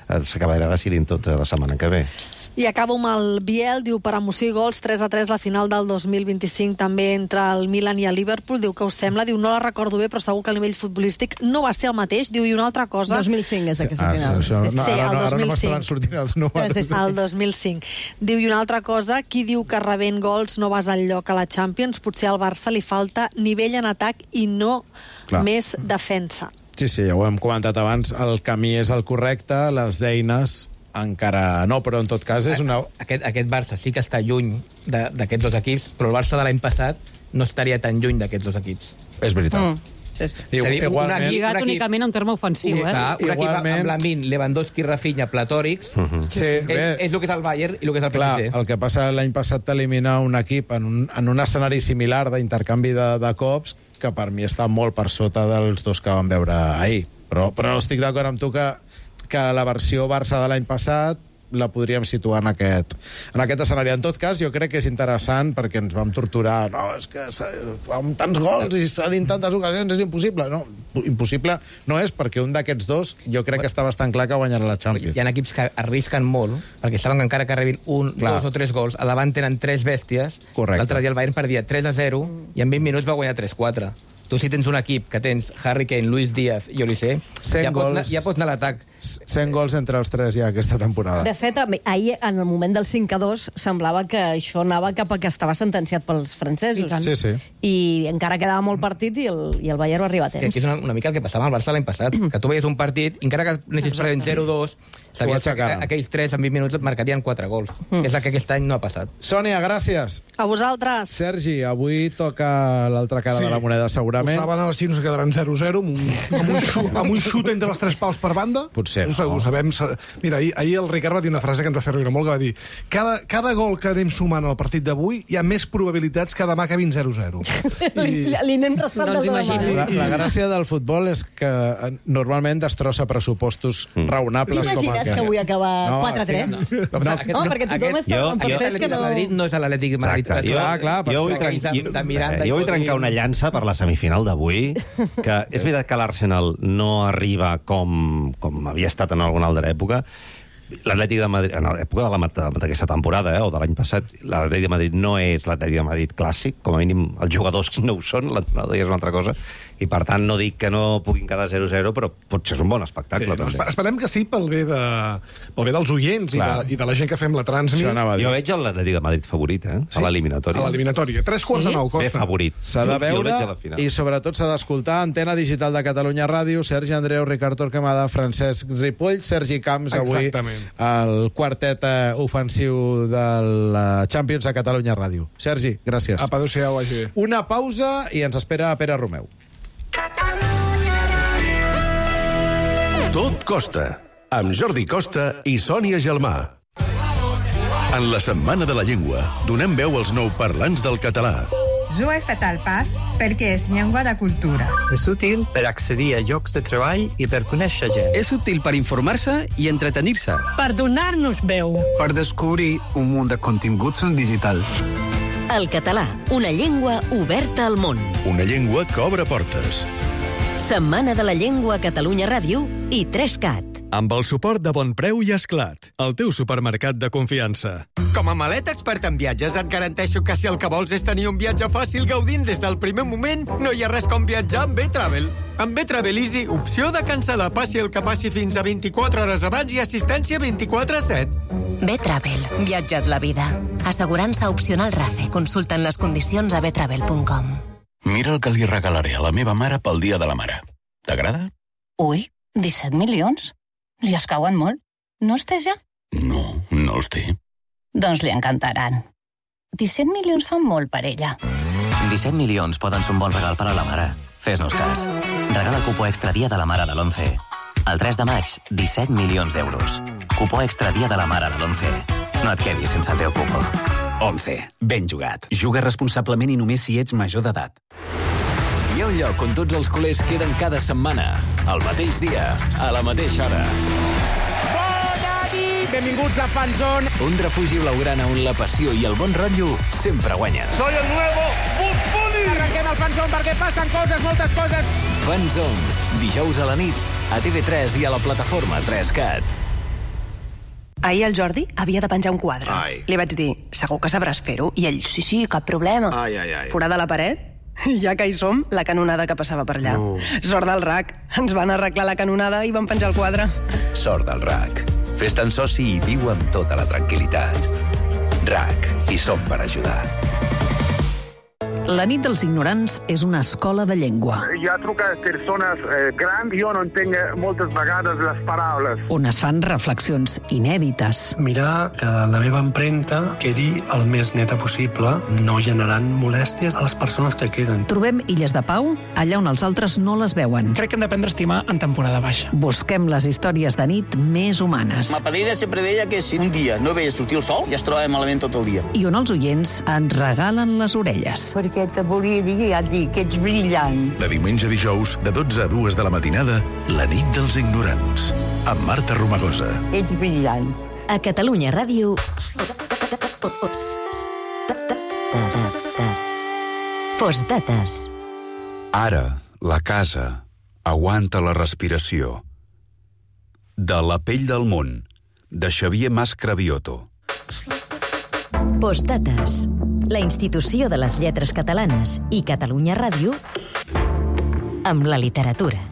eh, s'acabarà decidint tot la setmana que ve. I acabo amb el Biel, diu per emoció i gols, tres a tres la final del dos mil vint-i-cinc també entre el Milan i el Liverpool, diu que us sembla, diu no la recordo bé però segur que el nivell futbolístic no va ser el mateix, diu i una altra cosa... dos mil cinc és aquesta Ah, final. això, no, Sí, ara, el no, ara dos mil no m'estaven cinc. sortint els números. Sí, sí, sí. El dos mil cinc. Diu, i una altra cosa, qui diu que rebent gols no vas al lloc a la Champions? Potser al Barça li falta nivell en atac i no Clar. més defensa. Sí, sí, ja ho hem comentat abans, el camí és el correcte, les eines encara no, però en tot cas és una... Aquest, aquest Barça sí que està lluny de- d'aquests dos equips, però el Barça de l'any passat no estaria tan lluny d'aquests dos equips. És veritat. Mm. Sí, sí. I, És a dir, un igualment... equip- Lligat un equip- únicament en terme ofensiu, eh? Clar, un equip Igualment- amb Lamin, Lewandowski, Rafinha, platòrics, Sí, és, bé, és el que és el Bayern i el que és el P S G. clar, el que passa l'any passat t'elimina un equip en un, en un escenari similar d'intercanvi de, de cops que per mi està molt per sota dels dos que vam veure ahir. Però, però estic d'acord amb tu que, que la versió Barça de l'any passat la podríem situar en aquest, en aquest escenari. En tot cas, jo crec que és interessant perquè ens vam torturar. No, és que s'ha- amb tants gols i s'ha dit en tantes ocasions és impossible. No, impossible no és perquè un d'aquests dos jo crec que està bastant clar que guanyarà la Champions. Hi ha equips que arrisquen molt, perquè saben que encara que rebin un, Clar. dos o tres gols, a davant tenen tres bèsties. Correcte. L'altre dia el Bayern perdia tres a zero i en vint minuts va guanyar tres quatre. Tu, si tens un equip que tens Harry Kane, Luis Díaz i Olise, cent ja, pots anar, gols. ja pots anar a l'atac. cent gols entre els tres ja aquesta temporada. De fet, ahir, en el moment del cinc a dos, semblava que això anava cap a que estava sentenciat pels francesos. I tant. Sí, sí. I encara quedava molt partit i el, i el Bayern va arribar a Que temps. és una, una mica el que passava al Barça l'any passat, que tu veies un partit, i encara que anessis perdent zero dos, sabies que aixecaven. aquells tres en vint minuts et marcarien quatre gols. Mm. És el que aquest any no ha passat. Sònia, gràcies. A vosaltres. Sergi, avui toca l'altra cara Sí. de la moneda, segurament. Ho saben, els xinos que quedaran zero zero, amb un, amb un, xut, amb un xut entre els tres pals per banda. Potser Ho, sa- no. ho sabem. sa- Mira, ahir, ahir el Ricard va dir una frase que ens va fer riure molt, que va dir cada, cada gol que anem sumant al partit d'avui hi ha més probabilitats que demà acabin zero zero. I... Li anem restant Doncs des de imagina't. demà. La, la gràcia del futbol és que eh, normalment destrossa pressupostos raonables com T'imagines aquest. que avui acaba No, quatre a tres? sí, no. Però, No, aquest, no, perquè tothom aquest, està Jo- per jo- fet que l'Atlètic no... de Madrid no és l'Atlètic de Madrid. Exacte. Clar, clar, per jo, això. vull, tren... Aquells de- de Miranda eh, i jo vull Godín. trencar una llança per la semifinal d'avui, que és veritat que l'Arsenal no arriba com, com havia estat en alguna altra època. L'Atlètic de Madrid, en l'època de la- d'aquesta temporada, eh, o de l'any passat, l'Atlètic de Madrid no és l'Atlètic de Madrid clàssic, com a mínim els jugadors no ho són, l'entrenador ja és una altra cosa, i per tant no dic que no puguin quedar zero zero, però potser és un bon espectacle. Sí, també. espe- esperem que sí pel bé, de, pel bé dels oients i Clar. de, i de la gent que fem la transmi. Això anava a dir. Jo veig l'Atlètic de Madrid favorit, eh? Sí? A l'eliminatòria. A l'eliminatòria. Tres quarts de nou, Bé, Costa. favorit. S'ha de Jo- jo el veure veig a la final. i sobretot s'ha d'escoltar Antena Digital de Catalunya Ràdio, Sergi Andreu, Ricard Torquemada, Francesc Ripoll, Sergi Camps, avui Exactament. el quartet eh, ofensiu de la Champions a Catalunya Ràdio. Sergi, gràcies. Apa, adéu-siau, vagi bé. Una pausa i ens espera Pere Romeu. Tot costa, amb Jordi Costa i Sònia Gelmà. En la Setmana de la Llengua, donem veu als nouparlants del català. Jo he fet el pas perquè és llengua de cultura. És útil per accedir a llocs de treball i per conèixer gent. És útil per informar-se i entretenir-se. Per donar-nos veu. Per descobrir un munt de continguts en digital. El català, una llengua oberta al món. Una llengua que obre portes. Setmana de la Llengua a Catalunya Ràdio i tres cat. Amb el suport de Bon Preu i Esclat, el teu supermercat de confiança. Com a maleta expert en viatges, et garanteixo que si el que vols és tenir un viatge fàcil gaudint des del primer moment, no hi ha res com viatjar amb B-Travel. Amb B-Travel Easy, opció de cancel·lar passi el que passi fins a vint-i-quatre hores abans i assistència vint-i-quatre set. B-Travel, viatja't la vida. Assegurança opcional RAFE. Consulta'n les condicions a b travel punt com. Mira el que li regalaré a la meva mare pel Dia de la Mare. T'agrada? Ui, disset milions? Li escauen molt? No els té ja? No, no els té. Doncs li encantaran. disset milions fan molt per ella. disset milions poden ser un bon regal per a la mare. Fes-nos cas. Regala el cupó extra dia de la mare de l'onze. El tres de maig, disset milions d'euros. Cupó extra dia de la mare de l'onze. No et quedis sense el teu cupó. onze. Ben jugat. Juga responsablement i només si ets major d'edat. Hi ha un lloc on tots els culers queden cada setmana, al mateix dia, a la mateixa hora. Bona nit! Benvinguts a Fanzone. Un refugi blaugrana on la passió i el bon rotllo sempre guanyen. Soy el nuevo Bugs Bunny! Arrenquem el Fanzone perquè passen coses, moltes coses. Fanzone, dijous a la nit, a T V tres i a la plataforma tres cat. Ahir el Jordi havia de penjar un quadre. Ai. Li vaig dir, segur que sabràs fer-ho? I ell, sí, sí, cap problema. Ai, ai, ai. Forada la paret? Ja que hi som, la canonada que passava per allà. No. Sort del R A C. Ens van arreglar la canonada i van penjar el quadre. Sort del R A C. Fes-te'n soci i viu amb tota la tranquil·litat. R A C. Hi som per ajudar. La nit dels ignorants és una escola de llengua. Hi ha trucat persones eh, grans, jo no entenc moltes vegades les paraules. On es fan reflexions inèdites. Mirar que la meva empremta quedi el més neta possible, no generant molèsties a les persones que queden. Trobem illes de pau allà on els altres no les veuen. Crec que hem d'aprendre a estimar en temporada baixa. Busquem les històries de nit més humanes. Ma padrina sempre deia que si un dia no veia sortir el sol, ja es trobava malament tot el dia. I on els oients ens regalen les orelles. Perquè te volia dir, ja et dic, que ets brillant. De diumenge a dijous, de dotze a dues de la matinada, la nit dels ignorants. Amb Marta Romagosa. Ets brillant. A Catalunya Ràdio... Postdates. Ara, la casa aguanta la respiració. De La pell del món, de Xavier Mas Cravioto. Postdates. La institució de les lletres catalanes i Catalunya Ràdio amb la literatura.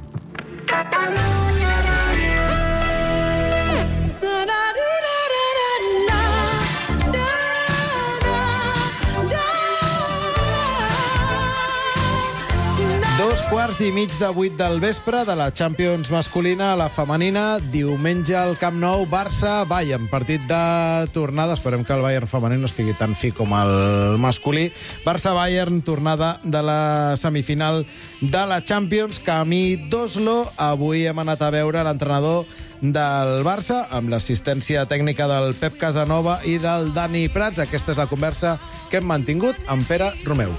Dos quarts i mig de vuit del vespre de la Champions masculina a la femenina. Diumenge al Camp Nou, Barça-Bayern. Partit de tornada. Esperem que el Bayern femení no estigui tan fi com el masculí. Barça-Bayern, tornada de la semifinal de la Champions. Camí d'Oslo. Avui hem anat a veure l'entrenador del Barça, amb l'assistència tècnica del Pep Casanova i del Dani Prats. Aquesta és la conversa que hem mantingut amb Pere Romeu.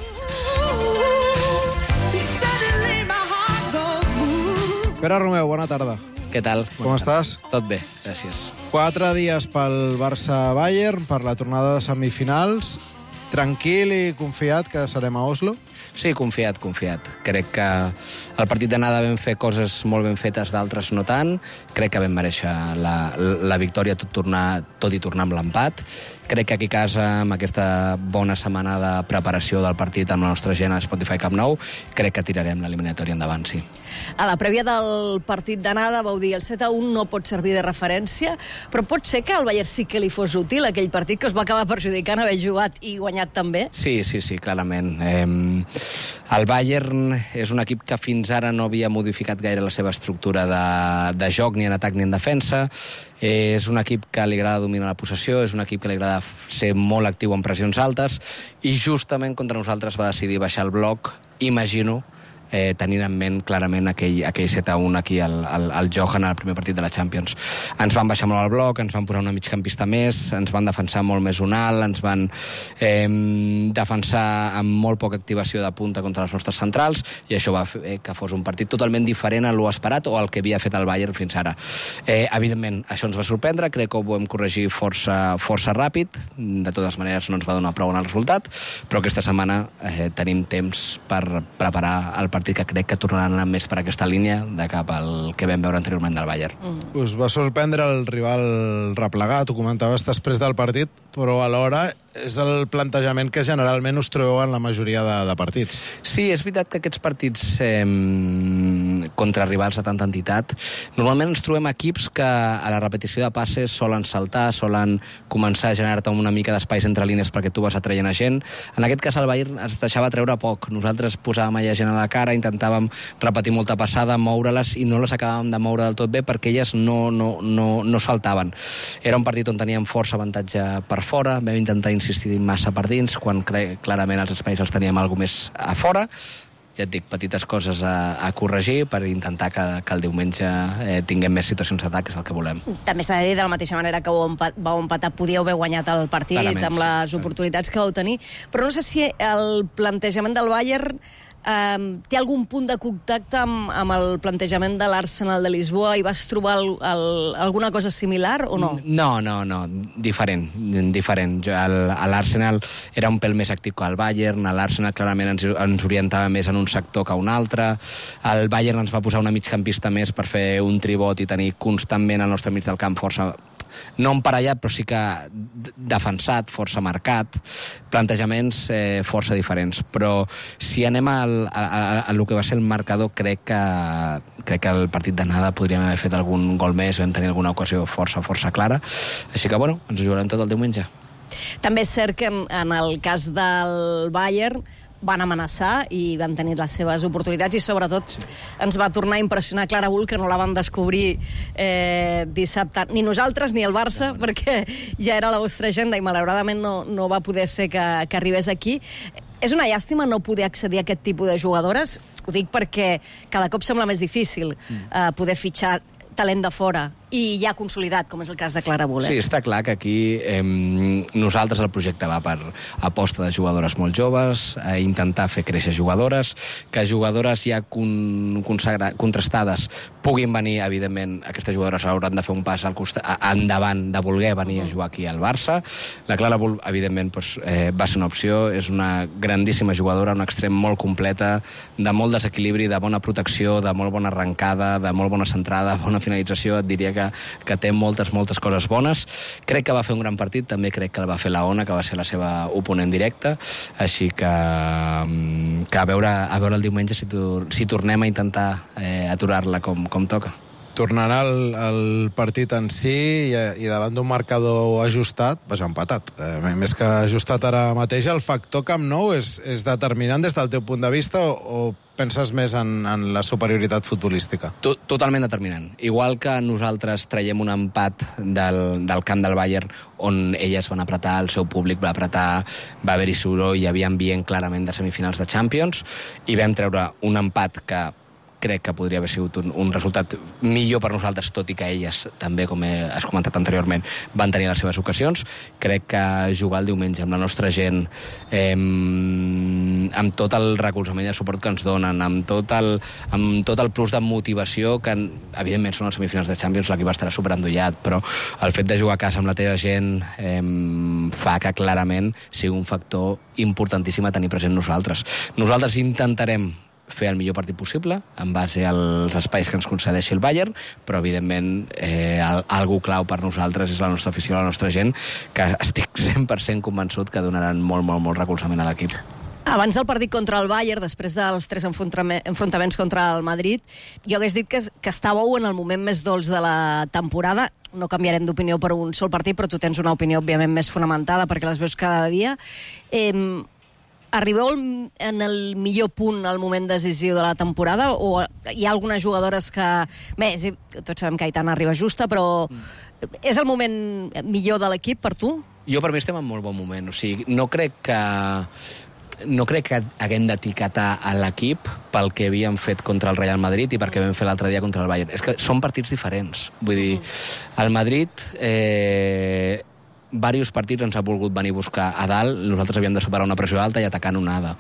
Pere Romeu, bona tarda. Què tal? Com estàs? Tot bé, gràcies. Quatre dies pel Barça-Bayern, per la tornada de semifinals. Tranquil i confiat que serem a Oslo? Sí, confiat, confiat. Crec que el partit d'anada vam fer coses molt ben fetes, d'altres no tant. Crec que vam mereixer la, la victòria tot, tornar, tot i tornar amb l'empat. Crec que aquí a casa, amb aquesta bona setmana de preparació del partit amb la nostra gent a Spotify Camp Nou, crec que tirarem l'eliminatòria endavant, sí. A la prèvia del partit d'anada vau dir el set a un no pot servir de referència, però pot ser que al Bayern sí que li fos útil aquell partit que es va acabar perjudicant haver jugat i guanyat també? Sí, sí, sí, clarament. Eh, el Bayern és un equip que fins ara no havia modificat gaire la seva estructura de, de joc, ni en atac ni en defensa. Eh, és un equip que li agrada dominar la possessió, és un equip que li agrada ser molt actiu en pressions altes, i justament contra nosaltres va decidir baixar el bloc, imagino, eh, tenint en ment clarament aquell, aquell set a un aquí al, al, al Johan al primer partit de la Champions. Ens van baixar molt al bloc, ens van posar una migcampista més, ens van defensar molt més un alt, ens van eh, defensar amb molt poca activació de punta contra les nostres centrals, i això va fer que fos un partit totalment diferent a lo esperat o al que havia fet el Bayern fins ara. Eh, evidentment, això ens va sorprendre, crec que ho vam corregir força, força ràpid, de totes maneres no ens va donar prou en el resultat, però aquesta setmana eh, tenim temps per preparar el partit que crec que tornaran a anar més per aquesta línia de cap al que vam veure anteriorment del Bayern. Mm. Us va sorprendre el rival replegat, ho comentaves després del partit, però alhora és el plantejament que generalment us trobeu en la majoria de, de partits. Sí, és veritat que aquests partits eh, contra rivals de tanta entitat, normalment ens trobem equips que a la repetició de passes solen saltar, solen començar a generar-te una mica d'espais entre línies perquè tu vas atraient a gent. En aquest cas el Bayern es deixava treure poc. Nosaltres posàvem allà gent a la cara, intentàvem repetir molta passada, moure-les, i no les acabàvem de moure del tot bé perquè elles no, no, no, no saltaven. Era un partit on teníem força avantatge per fora, vam intentar insistir massa per dins, quan clarament els espais els teníem alguna més a fora. Ja et dic, petites coses a, a corregir per intentar que, que el diumenge eh, tinguem més situacions d'atac, que és el que volem. També s'ha de dir, de la mateixa manera que vau empat, empatar, podíeu haver guanyat el partit clarament, amb les sí, oportunitats que vau tenir, però no sé si el plantejament del Bayern eh, té algun punt de contacte amb, amb el plantejament de l'Arsenal de Lisboa, i vas trobar el, el, alguna cosa similar o no? No, no, no, diferent, diferent. Jo, el, l'Arsenal era un pèl més actiu que el Bayern, l'Arsenal clarament ens, ens orientava més en un sector que un altre, el Bayern ens va posar una migcampista més per fer un tribot i tenir constantment al nostre mig del camp força, no emparellat, però sí que defensat, força marcat, plantejaments eh, força diferents. Però si anem al, a, a, a lo que va ser el marcador, crec que, crec que el partit d'anada podríem haver fet algun gol més, vam tenir alguna ocasió força, força clara. Així que, bueno, ens ho jugarem tot el diumenge. També és cert que en, en el cas del Bayern van amenaçar i van tenir les seves oportunitats, i sobretot ens va tornar a impressionar Clara Bull, que no la vam descobrir eh, dissabte, ni nosaltres ni el Barça, no, no. perquè ja era la vostra agenda i malauradament no, no va poder ser que, que arribés aquí. És una llàstima no poder accedir a aquest tipus de jugadores, ho dic perquè cada cop sembla més difícil eh, poder fitxar talent de fora i ja consolidat, com és el cas de Clara Bull. Eh? Sí, està clar que aquí eh, nosaltres el projecte va per aposta de jugadores molt joves, a intentar fer créixer jugadores, que jugadores ja con, consagra, contrastades puguin venir, evidentment, aquestes jugadores hauran de fer un pas al costat, endavant de voler venir a jugar aquí al Barça. La Clara Bull, evidentment, doncs, eh, va ser una opció, és una grandíssima jugadora, un extrem molt completa, de molt desequilibri, de bona protecció, de molt bona arrencada, de molt bona centrada, bona finalització, et diria que, que té moltes, moltes coses bones. Crec que va fer un gran partit, també crec que la va fer la Ona, que va ser la seva oponent directa, així que, que a, veure, a veure el diumenge si, tor si tornem a intentar eh, aturar-la com, com toca. Tornarà el, el partit en si i, i davant d'un marcador ajustat, vas empatat. Eh, més que ajustat ara mateix, el factor Camp Nou és, és determinant des del teu punt de vista o, o penses més en, en la superioritat futbolística? Totalment determinant. Igual que nosaltres traiem un empat del, del camp del Bayern on elles van apretar, el seu públic va apretar, va haver-hi soroll, hi havia ambient clarament de semifinals de Champions, i vam treure un empat que crec que podria haver sigut un, un resultat millor per nosaltres, tot i que elles també, com he, has comentat anteriorment, van tenir les seves ocasions. Crec que jugar el diumenge amb la nostra gent, eh, amb tot el recolzament i el suport que ens donen, amb tot el, amb tot el plus de motivació, que evidentment són les semifinals de Champions, l'equip estarà superendollat, però el fet de jugar a casa amb la teva gent eh, fa que clarament sigui un factor importantíssim a tenir present nosaltres. Nosaltres intentarem fer el millor partit possible, en base als espais que ens concedeixi el Bayern, però evidentment eh, algú clau per nosaltres és la nostra afició, la nostra gent, que estic cent per cent convençut que donaran molt, molt, molt recolzament a l'equip. Abans del partit contra el Bayern, després dels tres enfrontaments contra el Madrid, jo hagués dit que, que estàveu en el moment més dolç de la temporada. No canviarem d'opinió per un sol partit, però tu tens una opinió, òbviament, més fonamentada, perquè les veus cada dia. Eh, Arribeu en el millor punt al moment decisiu de la temporada, o hi ha algunes jugadores que... Bé, tots sabem que Aitana arriba justa, però és el moment millor de l'equip per tu? Jo, per mi, estem en molt bon moment. O sigui, no crec que... no crec que haguem d'etiquetar a l'equip pel que havíem fet contra el Real Madrid i perquè vam fer l'altre dia contra el Bayern. És que són partits diferents. Vull dir, el Madrid... Eh, diversos partits ens ha volgut venir a buscar a dalt, nosaltres havíem de superar una pressió alta i atacar onada.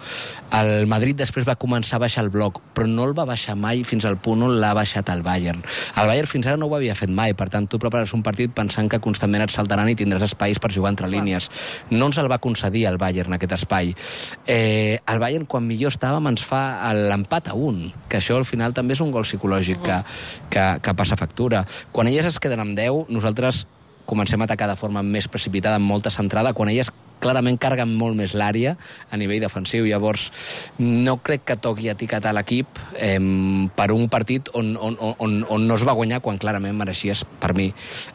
El Madrid després va començar a baixar el bloc, però no el va baixar mai fins al punt on l'ha baixat el Bayern. El Bayern fins ara no ho havia fet mai, per tant, tu prepares un partit pensant que constantment et saltaran i tindràs espais per jugar entre línies. No ens el va concedir el Bayern, aquest espai. Eh, el Bayern, quan millor estàvem, ens fa l'empat a un, que això al final també és un gol psicològic que, que, que passa factura. Quan elles es queden amb deu, nosaltres comencem a atacar de forma més precipitada, amb molta centrada, quan elles clarament carreguen molt més l'àrea a nivell defensiu. Llavors, no crec que toqui etiquetar l'equip eh, per un partit on, on, on, on no es va guanyar quan clarament mereixies, per mi,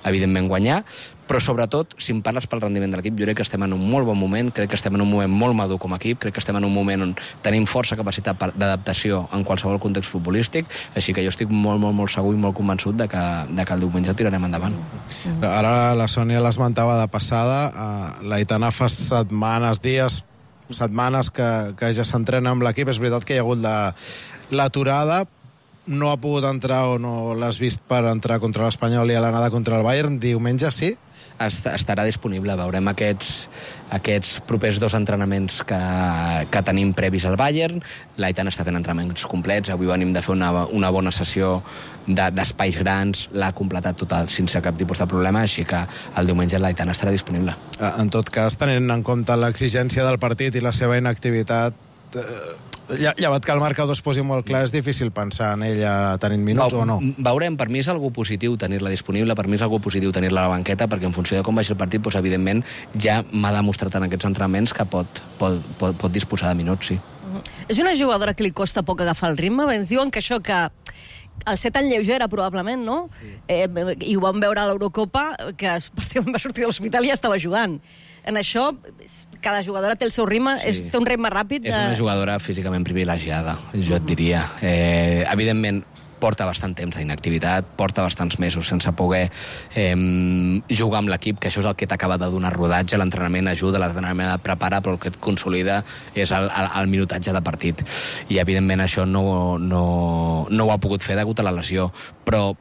evidentment guanyar, però sobretot, si em parles pel rendiment de l'equip, jo crec que estem en un molt bon moment, crec que estem en un moment molt madur com a equip, crec que estem en un moment on tenim força capacitat d'adaptació en qualsevol context futbolístic, així que jo estic molt, molt, molt segur i molt convençut de que, de que el diumenge tirarem endavant. Ara la Sònia l'esmentava de passada, uh, l'Aitana fa setmanes, dies, setmanes que, que ja s'entrena amb l'equip. És veritat que hi ha hagut l'aturada, no ha pogut entrar o no l'has vist per entrar contra l'Espanyol i a l'anada contra el Bayern. Diumenge sí? Estarà disponible. Veurem aquests, aquests propers dos entrenaments que, que tenim previs al Bayern. L'Aitana està fent entrenaments complets. Avui venim de fer una, una bona sessió d'espais de, grans. L'ha completat total sense cap tipus de problema, així que el diumenge l'Aitana estarà disponible. En tot cas, tenint en compte l'exigència del partit i la seva inactivitat, eh, llevat que el marcador es posi molt clar, és difícil pensar en ella tenint minuts o no? Veurem, per mi és algú positiu tenir-la disponible, per mi és algú positiu tenir-la a la banqueta, perquè en funció de com vagi el partit, doncs, evidentment, ja m'ha demostrat en aquests entrenaments que pot, pot, pot, pot disposar de minuts, sí. És una jugadora que li costa poc agafar el ritme? Ens diuen que això, que el ser tan lleugera, probablement, no? Sí. Eh, I ho vam veure a l'Eurocopa, que pràcticament va sortir de l'hospital i ja estava jugant. En això, cada jugadora té el seu ritme, sí. és, té un ritme ràpid. De... És una jugadora físicament privilegiada, jo et diria. Eh, evidentment, porta bastant temps d'inactivitat, porta bastants mesos sense poder eh, jugar amb l'equip, que això és el que t'acaba de donar rodatge. L'entrenament ajuda, l'entrenament et prepara, però el que et consolida és el, el, el minutatge de partit. I, evidentment, això no, no, no ho ha pogut fer degut a la lesió. Però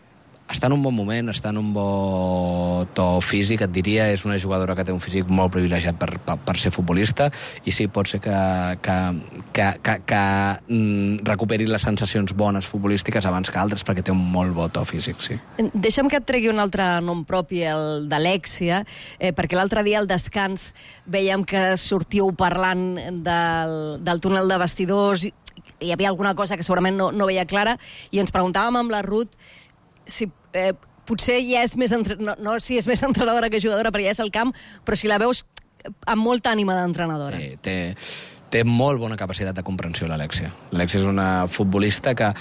està en un bon moment, està en un bon to físic, et diria. És una jugadora que té un físic molt privilegiat per, per, per ser futbolista, i sí, pot ser que, que, que, que, que mm, recuperi les sensacions bones futbolístiques abans que altres, perquè té un molt bo to físic, sí. Deixa'm que et tregui un altre nom propi, el d'Alexia, eh, perquè l'altre dia al descans veiem que sortíeu parlant del, del túnel de vestidors, hi havia alguna cosa que segurament no, no veia clara, i ens preguntàvem amb la Ruth si eh, potser ja és més entre... no, no si és més entrenadora que jugadora, perquè ja és al camp, però si la veus amb molta ànima d'entrenadora. Sí, té, té molt bona capacitat de comprensió, l'Alexia. L'Alexia és una futbolista que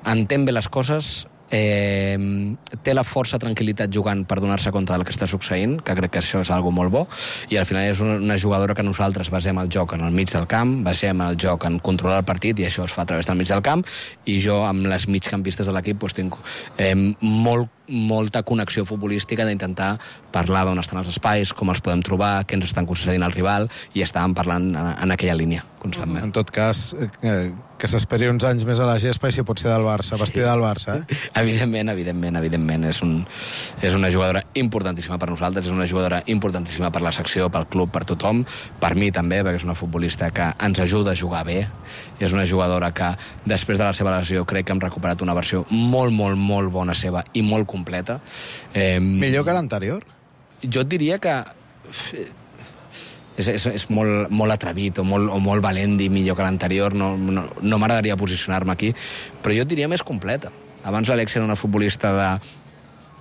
entén bé les coses, eh, té la força tranquil·litat jugant per donar-se compte del que està succeint, que crec que això és algo molt bo, i al final és una jugadora que nosaltres basem el joc en el mig del camp, basem el joc en controlar el partit, i això es fa a través del mig del camp, i jo amb les migcampistes de l'equip doncs, tinc eh, molt molta connexió futbolística d'intentar parlar d'on estan els espais, com els podem trobar, què ens estan concedint al rival, i estàvem parlant en, en aquella línia constantment. En tot cas, eh, que s'esperi uns anys més a la gespa i si pot ser del Barça, vestida del Barça, eh? Evidentment, evidentment, evidentment. És, un, és una jugadora importantíssima per nosaltres, és una jugadora importantíssima per la secció, pel club, per tothom, per mi també, perquè és una futbolista que ens ajuda a jugar bé, és una jugadora que després de la seva lesió crec que hem recuperat una versió molt, molt, molt bona seva i molt completa. Eh, Millor que l'anterior? Jo et diria que és, és, és molt, molt atrevit o molt, o molt valent dir millor que l'anterior. No, no, no m'agradaria posicionar-me aquí, però jo et diria més completa. Abans l'Alexia era una futbolista de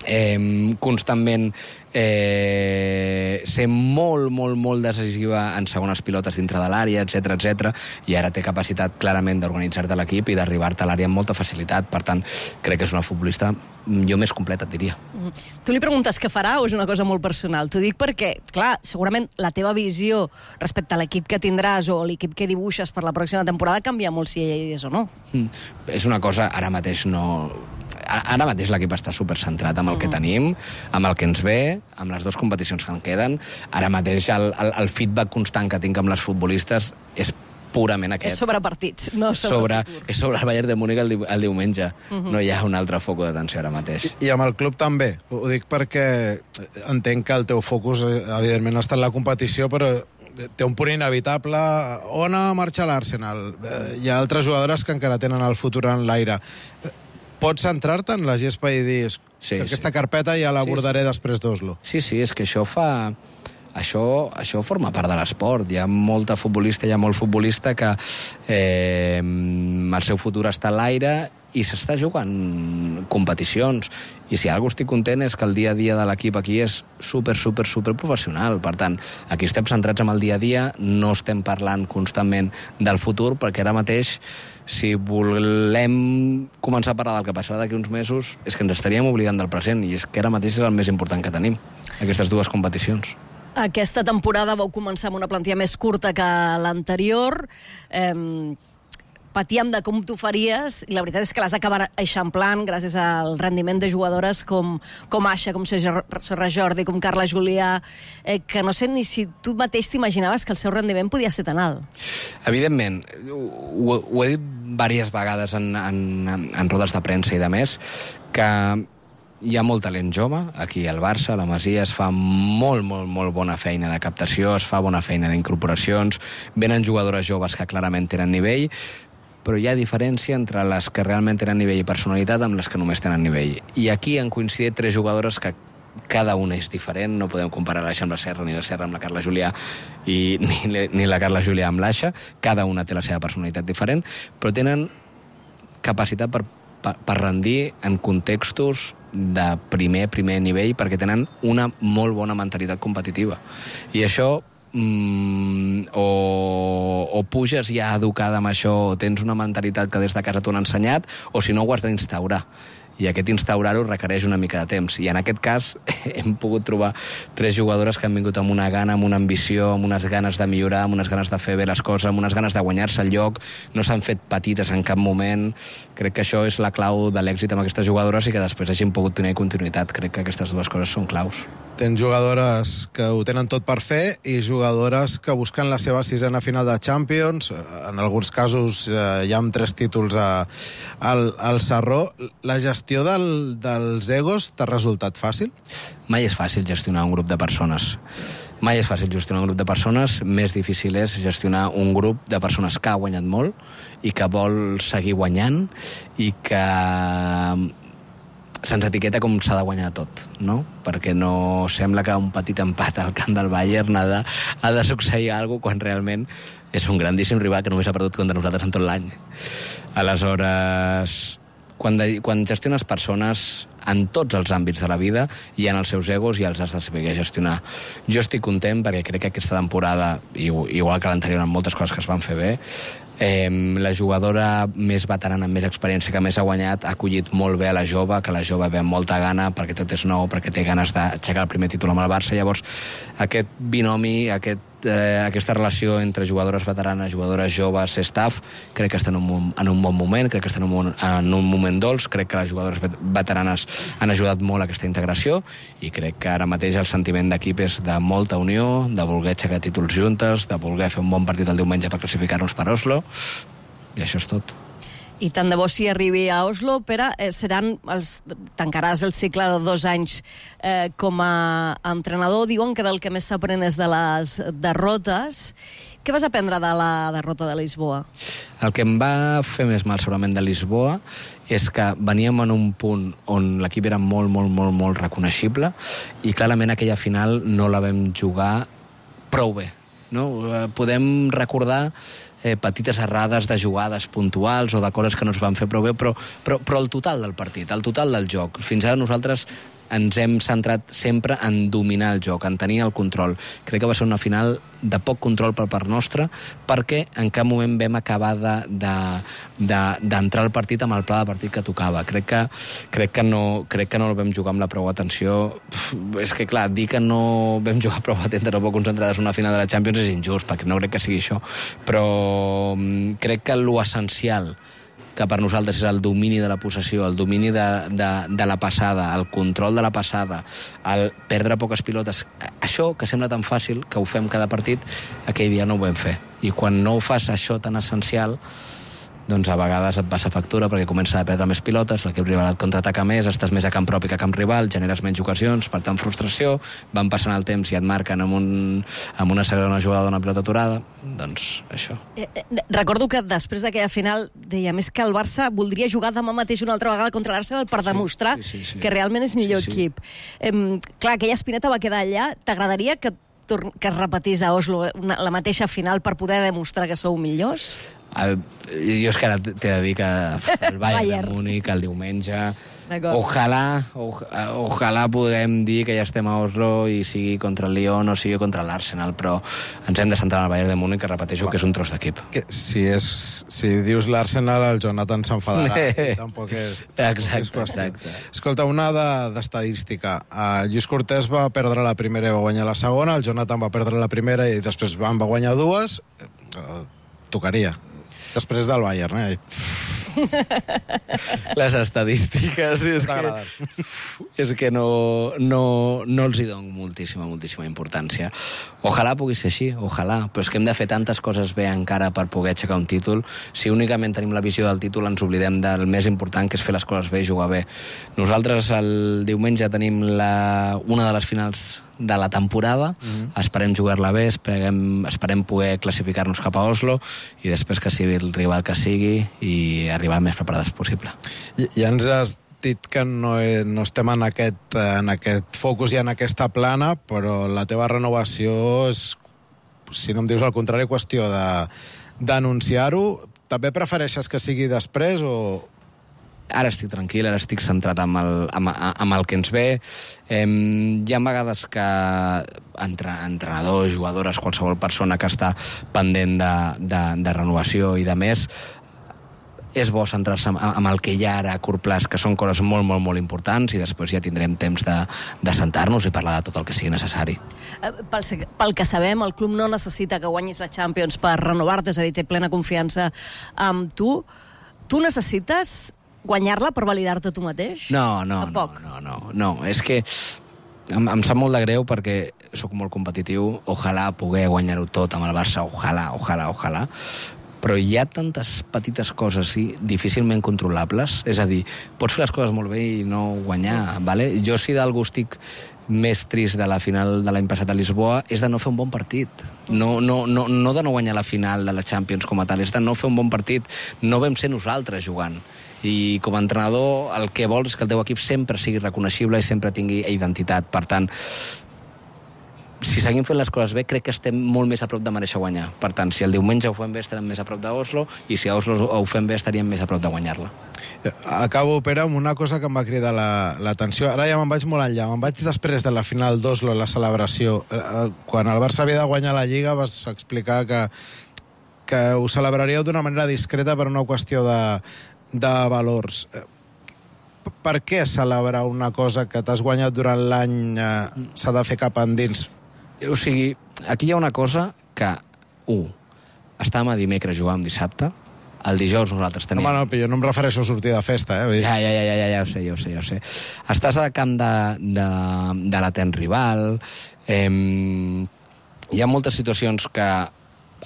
eh, constantment eh, ser molt, molt, molt decisiva en segones pilotes dintre de l'àrea, etcètera, etcètera, i ara té capacitat clarament d'organitzar-te l'equip i d'arribar-te a l'àrea amb molta facilitat. Per tant, crec que és una futbolista jo més completa, et diria. Mm. Tu li preguntes què farà o és una cosa molt personal? T'ho dic perquè, clar, segurament la teva visió respecte a l'equip que tindràs o l'equip que dibuixes per la pròxima temporada canvia molt si ell és o no. Mm. És una cosa, ara mateix no... Ara mateix l'equip està supercentrat amb el que tenim, amb el que ens ve, amb les dues competicions que en queden. Ara mateix el, el, el feedback constant que tinc amb les futbolistes és purament aquest. És sobre partits, no sobre, sobre futur. És sobre el Bayern de Múnich el, di el diumenge. Uh-huh. No hi ha un altre foc d'atenció ara mateix. I, I amb el club també. Ho dic perquè entenc que el teu focus, evidentment, està en la competició, però té un punt inevitable. On ha marxat l'Arsenal? Hi ha altres jugadores que encara tenen el futur en l'aire. Pots centrar-te en la gespa i dir sí, que aquesta sí. carpeta ja l'abordaré sí, sí. després d'Oslo? Sí, sí, és que això fa... Això, això forma part de l'esport. Hi ha molta futbolista, hi ha molt futbolista que eh, el seu futur està a l'aire i s'està jugant competicions. I si alguna cosa estic content és que el dia a dia de l'equip aquí és super, super, super professional. Per tant, aquí estem centrats en el dia a dia, no estem parlant constantment del futur, perquè ara mateix, si volem començar a parlar del que passarà d'aquí uns mesos, és que ens estaríem oblidant del present, i és que ara mateix és el més important que tenim, aquestes dues competicions. Aquesta temporada vau començar amb una plantilla més curta que l'anterior. Eh, patíem de com t'ho faries, i la veritat és que l'has acabat eixamplant gràcies al rendiment de jugadores com, com Aixa, com Serra Jordi, com Carla Julià, eh, que no sé ni si tu mateix t'imaginaves que el seu rendiment podia ser tan alt. Evidentment, ho, ho he dit diverses vegades en, en, en rodes de premsa i de més, que hi ha molt talent jove, aquí al Barça, a la Masia, es fa molt, molt, molt bona feina de captació, es fa bona feina d'incorporacions, venen jugadores joves que clarament tenen nivell, però hi ha diferència entre les que realment tenen nivell i personalitat amb les que només tenen nivell. I aquí han coincidit tres jugadores que cada una és diferent, no podem comparar l'Aixa amb la Serra, ni la Serra amb la Carla Julià, i ni, ni la Carla Julià amb l'Aixa, cada una té la seva personalitat diferent, però tenen capacitat per, per, per rendir en contextos de primer, primer nivell, perquè tenen una molt bona mentalitat competitiva. I això Mm, o, o puges ja educada amb això, o tens una mentalitat que des de casa t'ho han ensenyat, o si no ho has d'instaurar, i aquest instaurar-ho requereix una mica de temps, i en aquest cas hem pogut trobar tres jugadores que han vingut amb una gana, amb una ambició, amb unes ganes de millorar, amb unes ganes de fer bé les coses, amb unes ganes de guanyar-se el lloc, no s'han fet petites en cap moment. Crec que això és la clau de l'èxit amb aquestes jugadores i que després hagin pogut tenir continuïtat. Crec que aquestes dues coses són claus. Tens jugadores que ho tenen tot per fer i jugadores que busquen la seva sisena final de Champions. En alguns casos eh, hi ha tres títols a, al, al Sarró. La gestió del, dels egos t'ha resultat fàcil? Mai és fàcil gestionar un grup de persones. Mai és fàcil gestionar un grup de persones. Més difícil és gestionar un grup de persones que ha guanyat molt i que vol seguir guanyant i que se'ns etiqueta com s'ha de guanyar tot, no? Perquè no sembla que un petit empat al camp del Bayern ha de, ha de succeir alguna cosa quan realment és un grandíssim rival que només ha perdut contra nosaltres en tot l'any. Aleshores, quan, de, quan gestiones persones en tots els àmbits de la vida hi ha els seus egos i els has de saber gestionar. Jo estic content perquè crec que aquesta temporada, igual que l'anterior en moltes coses que es van fer bé, Eh, la jugadora més veterana, amb més experiència, que més ha guanyat, ha acollit molt bé a la jove, que la jove ve amb molta gana, perquè tot és nou, perquè té ganes d'aixecar el primer títol amb el Barça. Llavors, aquest binomi, aquest, eh, aquesta relació entre jugadores veteranes, jugadores joves, staff, crec que està en un, en un bon moment, crec que està en un, en un moment dolç, crec que les jugadores veteranes han ajudat molt a aquesta integració, i crec que ara mateix el sentiment d'equip és de molta unió, de voler aixecar títols juntes, de voler fer un bon partit el diumenge per classificar-nos per Oslo, i això és tot. I tant de bo si arribi a Oslo, Pere, eh, seran els, tancaràs el cicle de dos anys eh, com a entrenador. Diuen que del que més s'aprèn és de les derrotes. Què vas aprendre de la derrota de Lisboa? El que em va fer més mal segurament de Lisboa és que veníem en un punt on l'equip era molt, molt, molt, molt reconeixible i clarament aquella final no la vam jugar prou bé. No? Podem recordar eh, petites errades de jugades puntuals o de coses que no es van fer prou bé, però, però, però el total del partit, el total del joc. Fins ara nosaltres ens hem centrat sempre en dominar el joc, en tenir el control. Crec que va ser una final de poc control per part nostra, perquè en cap moment vam acabar d'entrar de, de, de, al partit amb el pla de partit que tocava. Crec que, crec que, no, crec que no el vam jugar amb la prou atenció. Uf, és que, clar, dir que no vam jugar prou atentes o poc concentrades en una final de la Champions és injust, perquè no crec que sigui això. Però crec que l'essencial que per nosaltres és el domini de la possessió, el domini de, de, de la passada, el control de la passada, el perdre poques pilotes, això, que sembla tan fàcil, que ho fem cada partit, aquell dia no ho vam fer. I quan no ho fas això tan essencial, doncs a vegades et passa factura perquè comença a perdre més pilotes, l'equip rival et contraataca més, estàs més a camp propi que a camp rival, generes menys ocasions, per tant frustració, van passant el temps i et marquen amb, un, amb una segona jugada d'una pilota aturada, doncs això. Eh, eh, recordo que després d'aquella final deia més que el Barça voldria jugar demà mateix una altra vegada contra l'Arsenal per demostrar sí, sí, sí, sí. que realment és millor sí, sí. equip. Eh, clar, aquella espineta va quedar allà. T'agradaria que, que es repetís a Oslo una, la mateixa final per poder demostrar que sou millors? El, jo és que ara t'he de dir que el Bayern de Múnich, el diumenge, ojalà, ojalà puguem dir que ja estem a Oslo i sigui contra el Lyon o sigui contra l'Arsenal, però ens hem de centrar en el Bayern de Múnich, que repeteixo que és un tros d'equip. Si, és, si dius l'Arsenal, el Jonathan s'enfadarà. Tampoc és, tampoc és qüestió. Escolta, una d'estadística. Uh, Lluís Cortés va perdre la primera i va guanyar la segona, el Jonathan va perdre la primera i després en va guanyar dues. Uh, tocaria. Després del Bayern, eh? Les estadístiques és que, és que no, no, no els hi dono moltíssima, moltíssima importància. Ojalà pugui ser així, ojalà, però és que hem de fer tantes coses bé encara per poder aixecar un títol. Si únicament tenim la visió del títol ens oblidem del més important, que és fer les coses bé i jugar bé. Nosaltres el diumenge tenim la, una de les finals de la temporada, mm-hmm. esperem jugar-la bé, esperem, esperem poder classificar-nos cap a Oslo i després que sigui el rival que sigui i arribar el més preparades possible. I, ja ens has dit que no, no estem en aquest, en aquest focus i en aquesta plana, però la teva renovació és, si no em dius el contrari, qüestió de, d'anunciar-ho. També prefereixes que sigui després o... Ara estic tranquil, ara estic centrat amb el, amb, amb el que ens ve. Eh, hi ha vegades que entre, entrenadors, jugadores, qualsevol persona que està pendent de, de, de renovació i de més, és bo centrar-se amb, amb el que hi ha ara a curt plaç, que són coses molt, molt, molt importants, i després ja tindrem temps de, de sentar-nos i parlar de tot el que sigui necessari. Pel, pel que sabem, el club no necessita que guanyis la Champions per renovar-te, és a dir, té plena confiança amb tu. Tu necessites guanyar-la per validar-te tu mateix? No, no, no, no, no, no. És que em, em sap molt de greu perquè sóc molt competitiu, ojalà poder guanyar-ho tot amb el Barça, ojalà, ojalà, ojalà, però hi ha tantes petites coses i difícilment controlables, és a dir, pots fer les coses molt bé i no guanyar, vale? Jo si d'algú estic més trist de la final de l'any passat a Lisboa és de no fer un bon partit. No, no, no, no de no guanyar la final de la Champions com a tal, és de no fer un bon partit. No vam ser nosaltres jugant. I com a entrenador el que vols és que el teu equip sempre sigui reconeixible i sempre tingui identitat. Per tant, si seguim fent les coses bé, crec que estem molt més a prop de mereixer guanyar. Per tant, si el diumenge ho fem bé, estarem més a prop d'Oslo, i si a Oslo ho fem bé, estaríem més a prop de guanyar-la. Acabo, Pere, amb una cosa que em va cridar l'atenció. Ara ja me'n vaig molt enllà. Me'n vaig després de la final d'Oslo, la celebració. Quan el Barça havia de guanyar la Lliga, vas explicar que, que ho celebraríeu d'una manera discreta per una qüestió de de valors. Per què celebrar una cosa que t'has guanyat durant l'any eh, s'ha de fer cap endins? O sigui, aquí hi ha una cosa que, un, estàvem a dimecres, jugàvem dissabte, el dijous nosaltres tenim... No, no, però jo no em refereixo a sortir de festa, eh? Ja, ja, ja, ja, ja, ja ho sé, ja ho sé, ja ho sé. Estàs al camp de, de, de l'atent rival, eh, hi ha moltes situacions que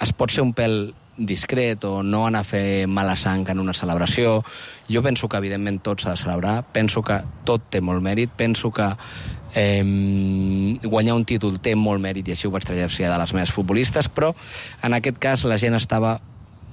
es pot ser un pèl discret o no anar a fer mala sang en una celebració. Jo penso que evidentment tot s'ha de celebrar, penso que tot té molt mèrit, penso que eh, guanyar un títol té molt mèrit i així ho vaig traslladar de les meves futbolistes, però en aquest cas la gent estava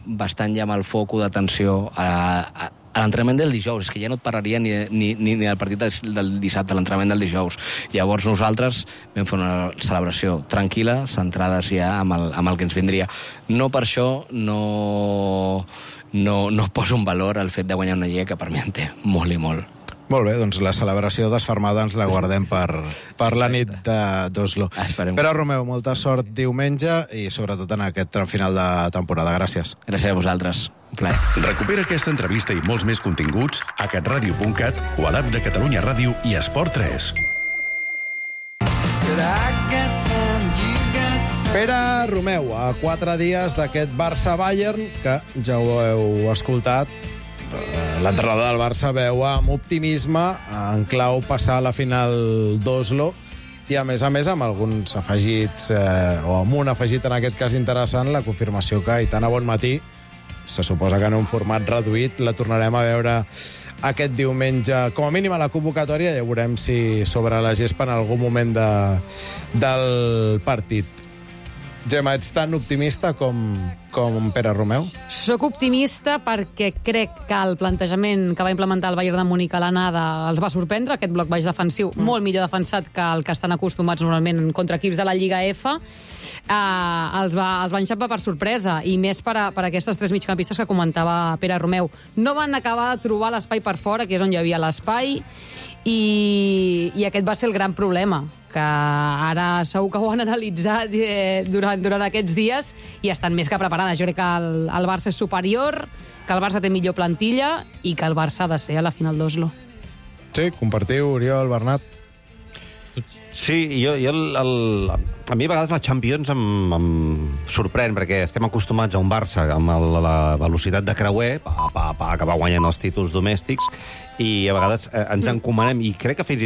bastant ja amb el foco d'atenció a, a, a l'entrenament del dijous. És que ja no et parlaria ni, ni, ni del partit del dissabte, l'entrenament del dijous. Llavors nosaltres vam fer una celebració tranquil·la, centrades ja amb el, amb el que ens vindria. No per això no, no, no poso un valor al fet de guanyar una lliga, que per mi en té molt i molt. Molt bé, doncs la celebració desfermada ens la guardem per, per la nit d'Oslo. Pere Romeu, molta sort diumenge i sobretot en aquest tram final de temporada. Gràcies. Gràcies a vosaltres. Un plaer. Recupera aquesta entrevista i molts més continguts a catradio punt cat o a l'app de Catalunya Ràdio i Esport tres. Pere Romeu, a quatre dies d'aquest Barça-Bayern, que ja ho heu escoltat, l'entrenador del Barça veu amb optimisme en clau passar a la final d'Oslo i, a més a més, amb alguns afegits, eh, o amb un afegit, en aquest cas interessant, la confirmació que Aitana Bonmatí, se suposa que en un format reduït, la tornarem a veure aquest diumenge, com a mínim a la convocatòria, ja veurem si sobre la gespa en algun moment de, del partit. Gemma, ets tan optimista com, com Pere Romeu? Soc optimista perquè crec que el plantejament que va implementar el Bayern de Múnich a l'anada els va sorprendre, aquest bloc baix defensiu, mm. molt millor defensat que el que estan acostumats normalment contra equips de la Lliga F, eh, els, va, els va enxampar per sorpresa, i més per, a, per aquestes tres migcampistes que comentava Pere Romeu. No van acabar de trobar l'espai per fora, que és on hi havia l'espai, i, i aquest va ser el gran problema, que ara segur que ho han analitzat eh, durant, durant aquests dies i estan més que preparades. Jo crec que el, el Barça és superior, que el Barça té millor plantilla i que el Barça ha de ser a la final d'Oslo. Sí, compartiu, Oriol, Bernat? Sí, jo, jo el, el, a mi a vegades la Champions em, em sorprèn, perquè estem acostumats a un Barça amb el, la velocitat de creuer, pa, pa, pa, que va guanyant els títols domèstics, i a vegades eh, ens encomanem, i crec que fins i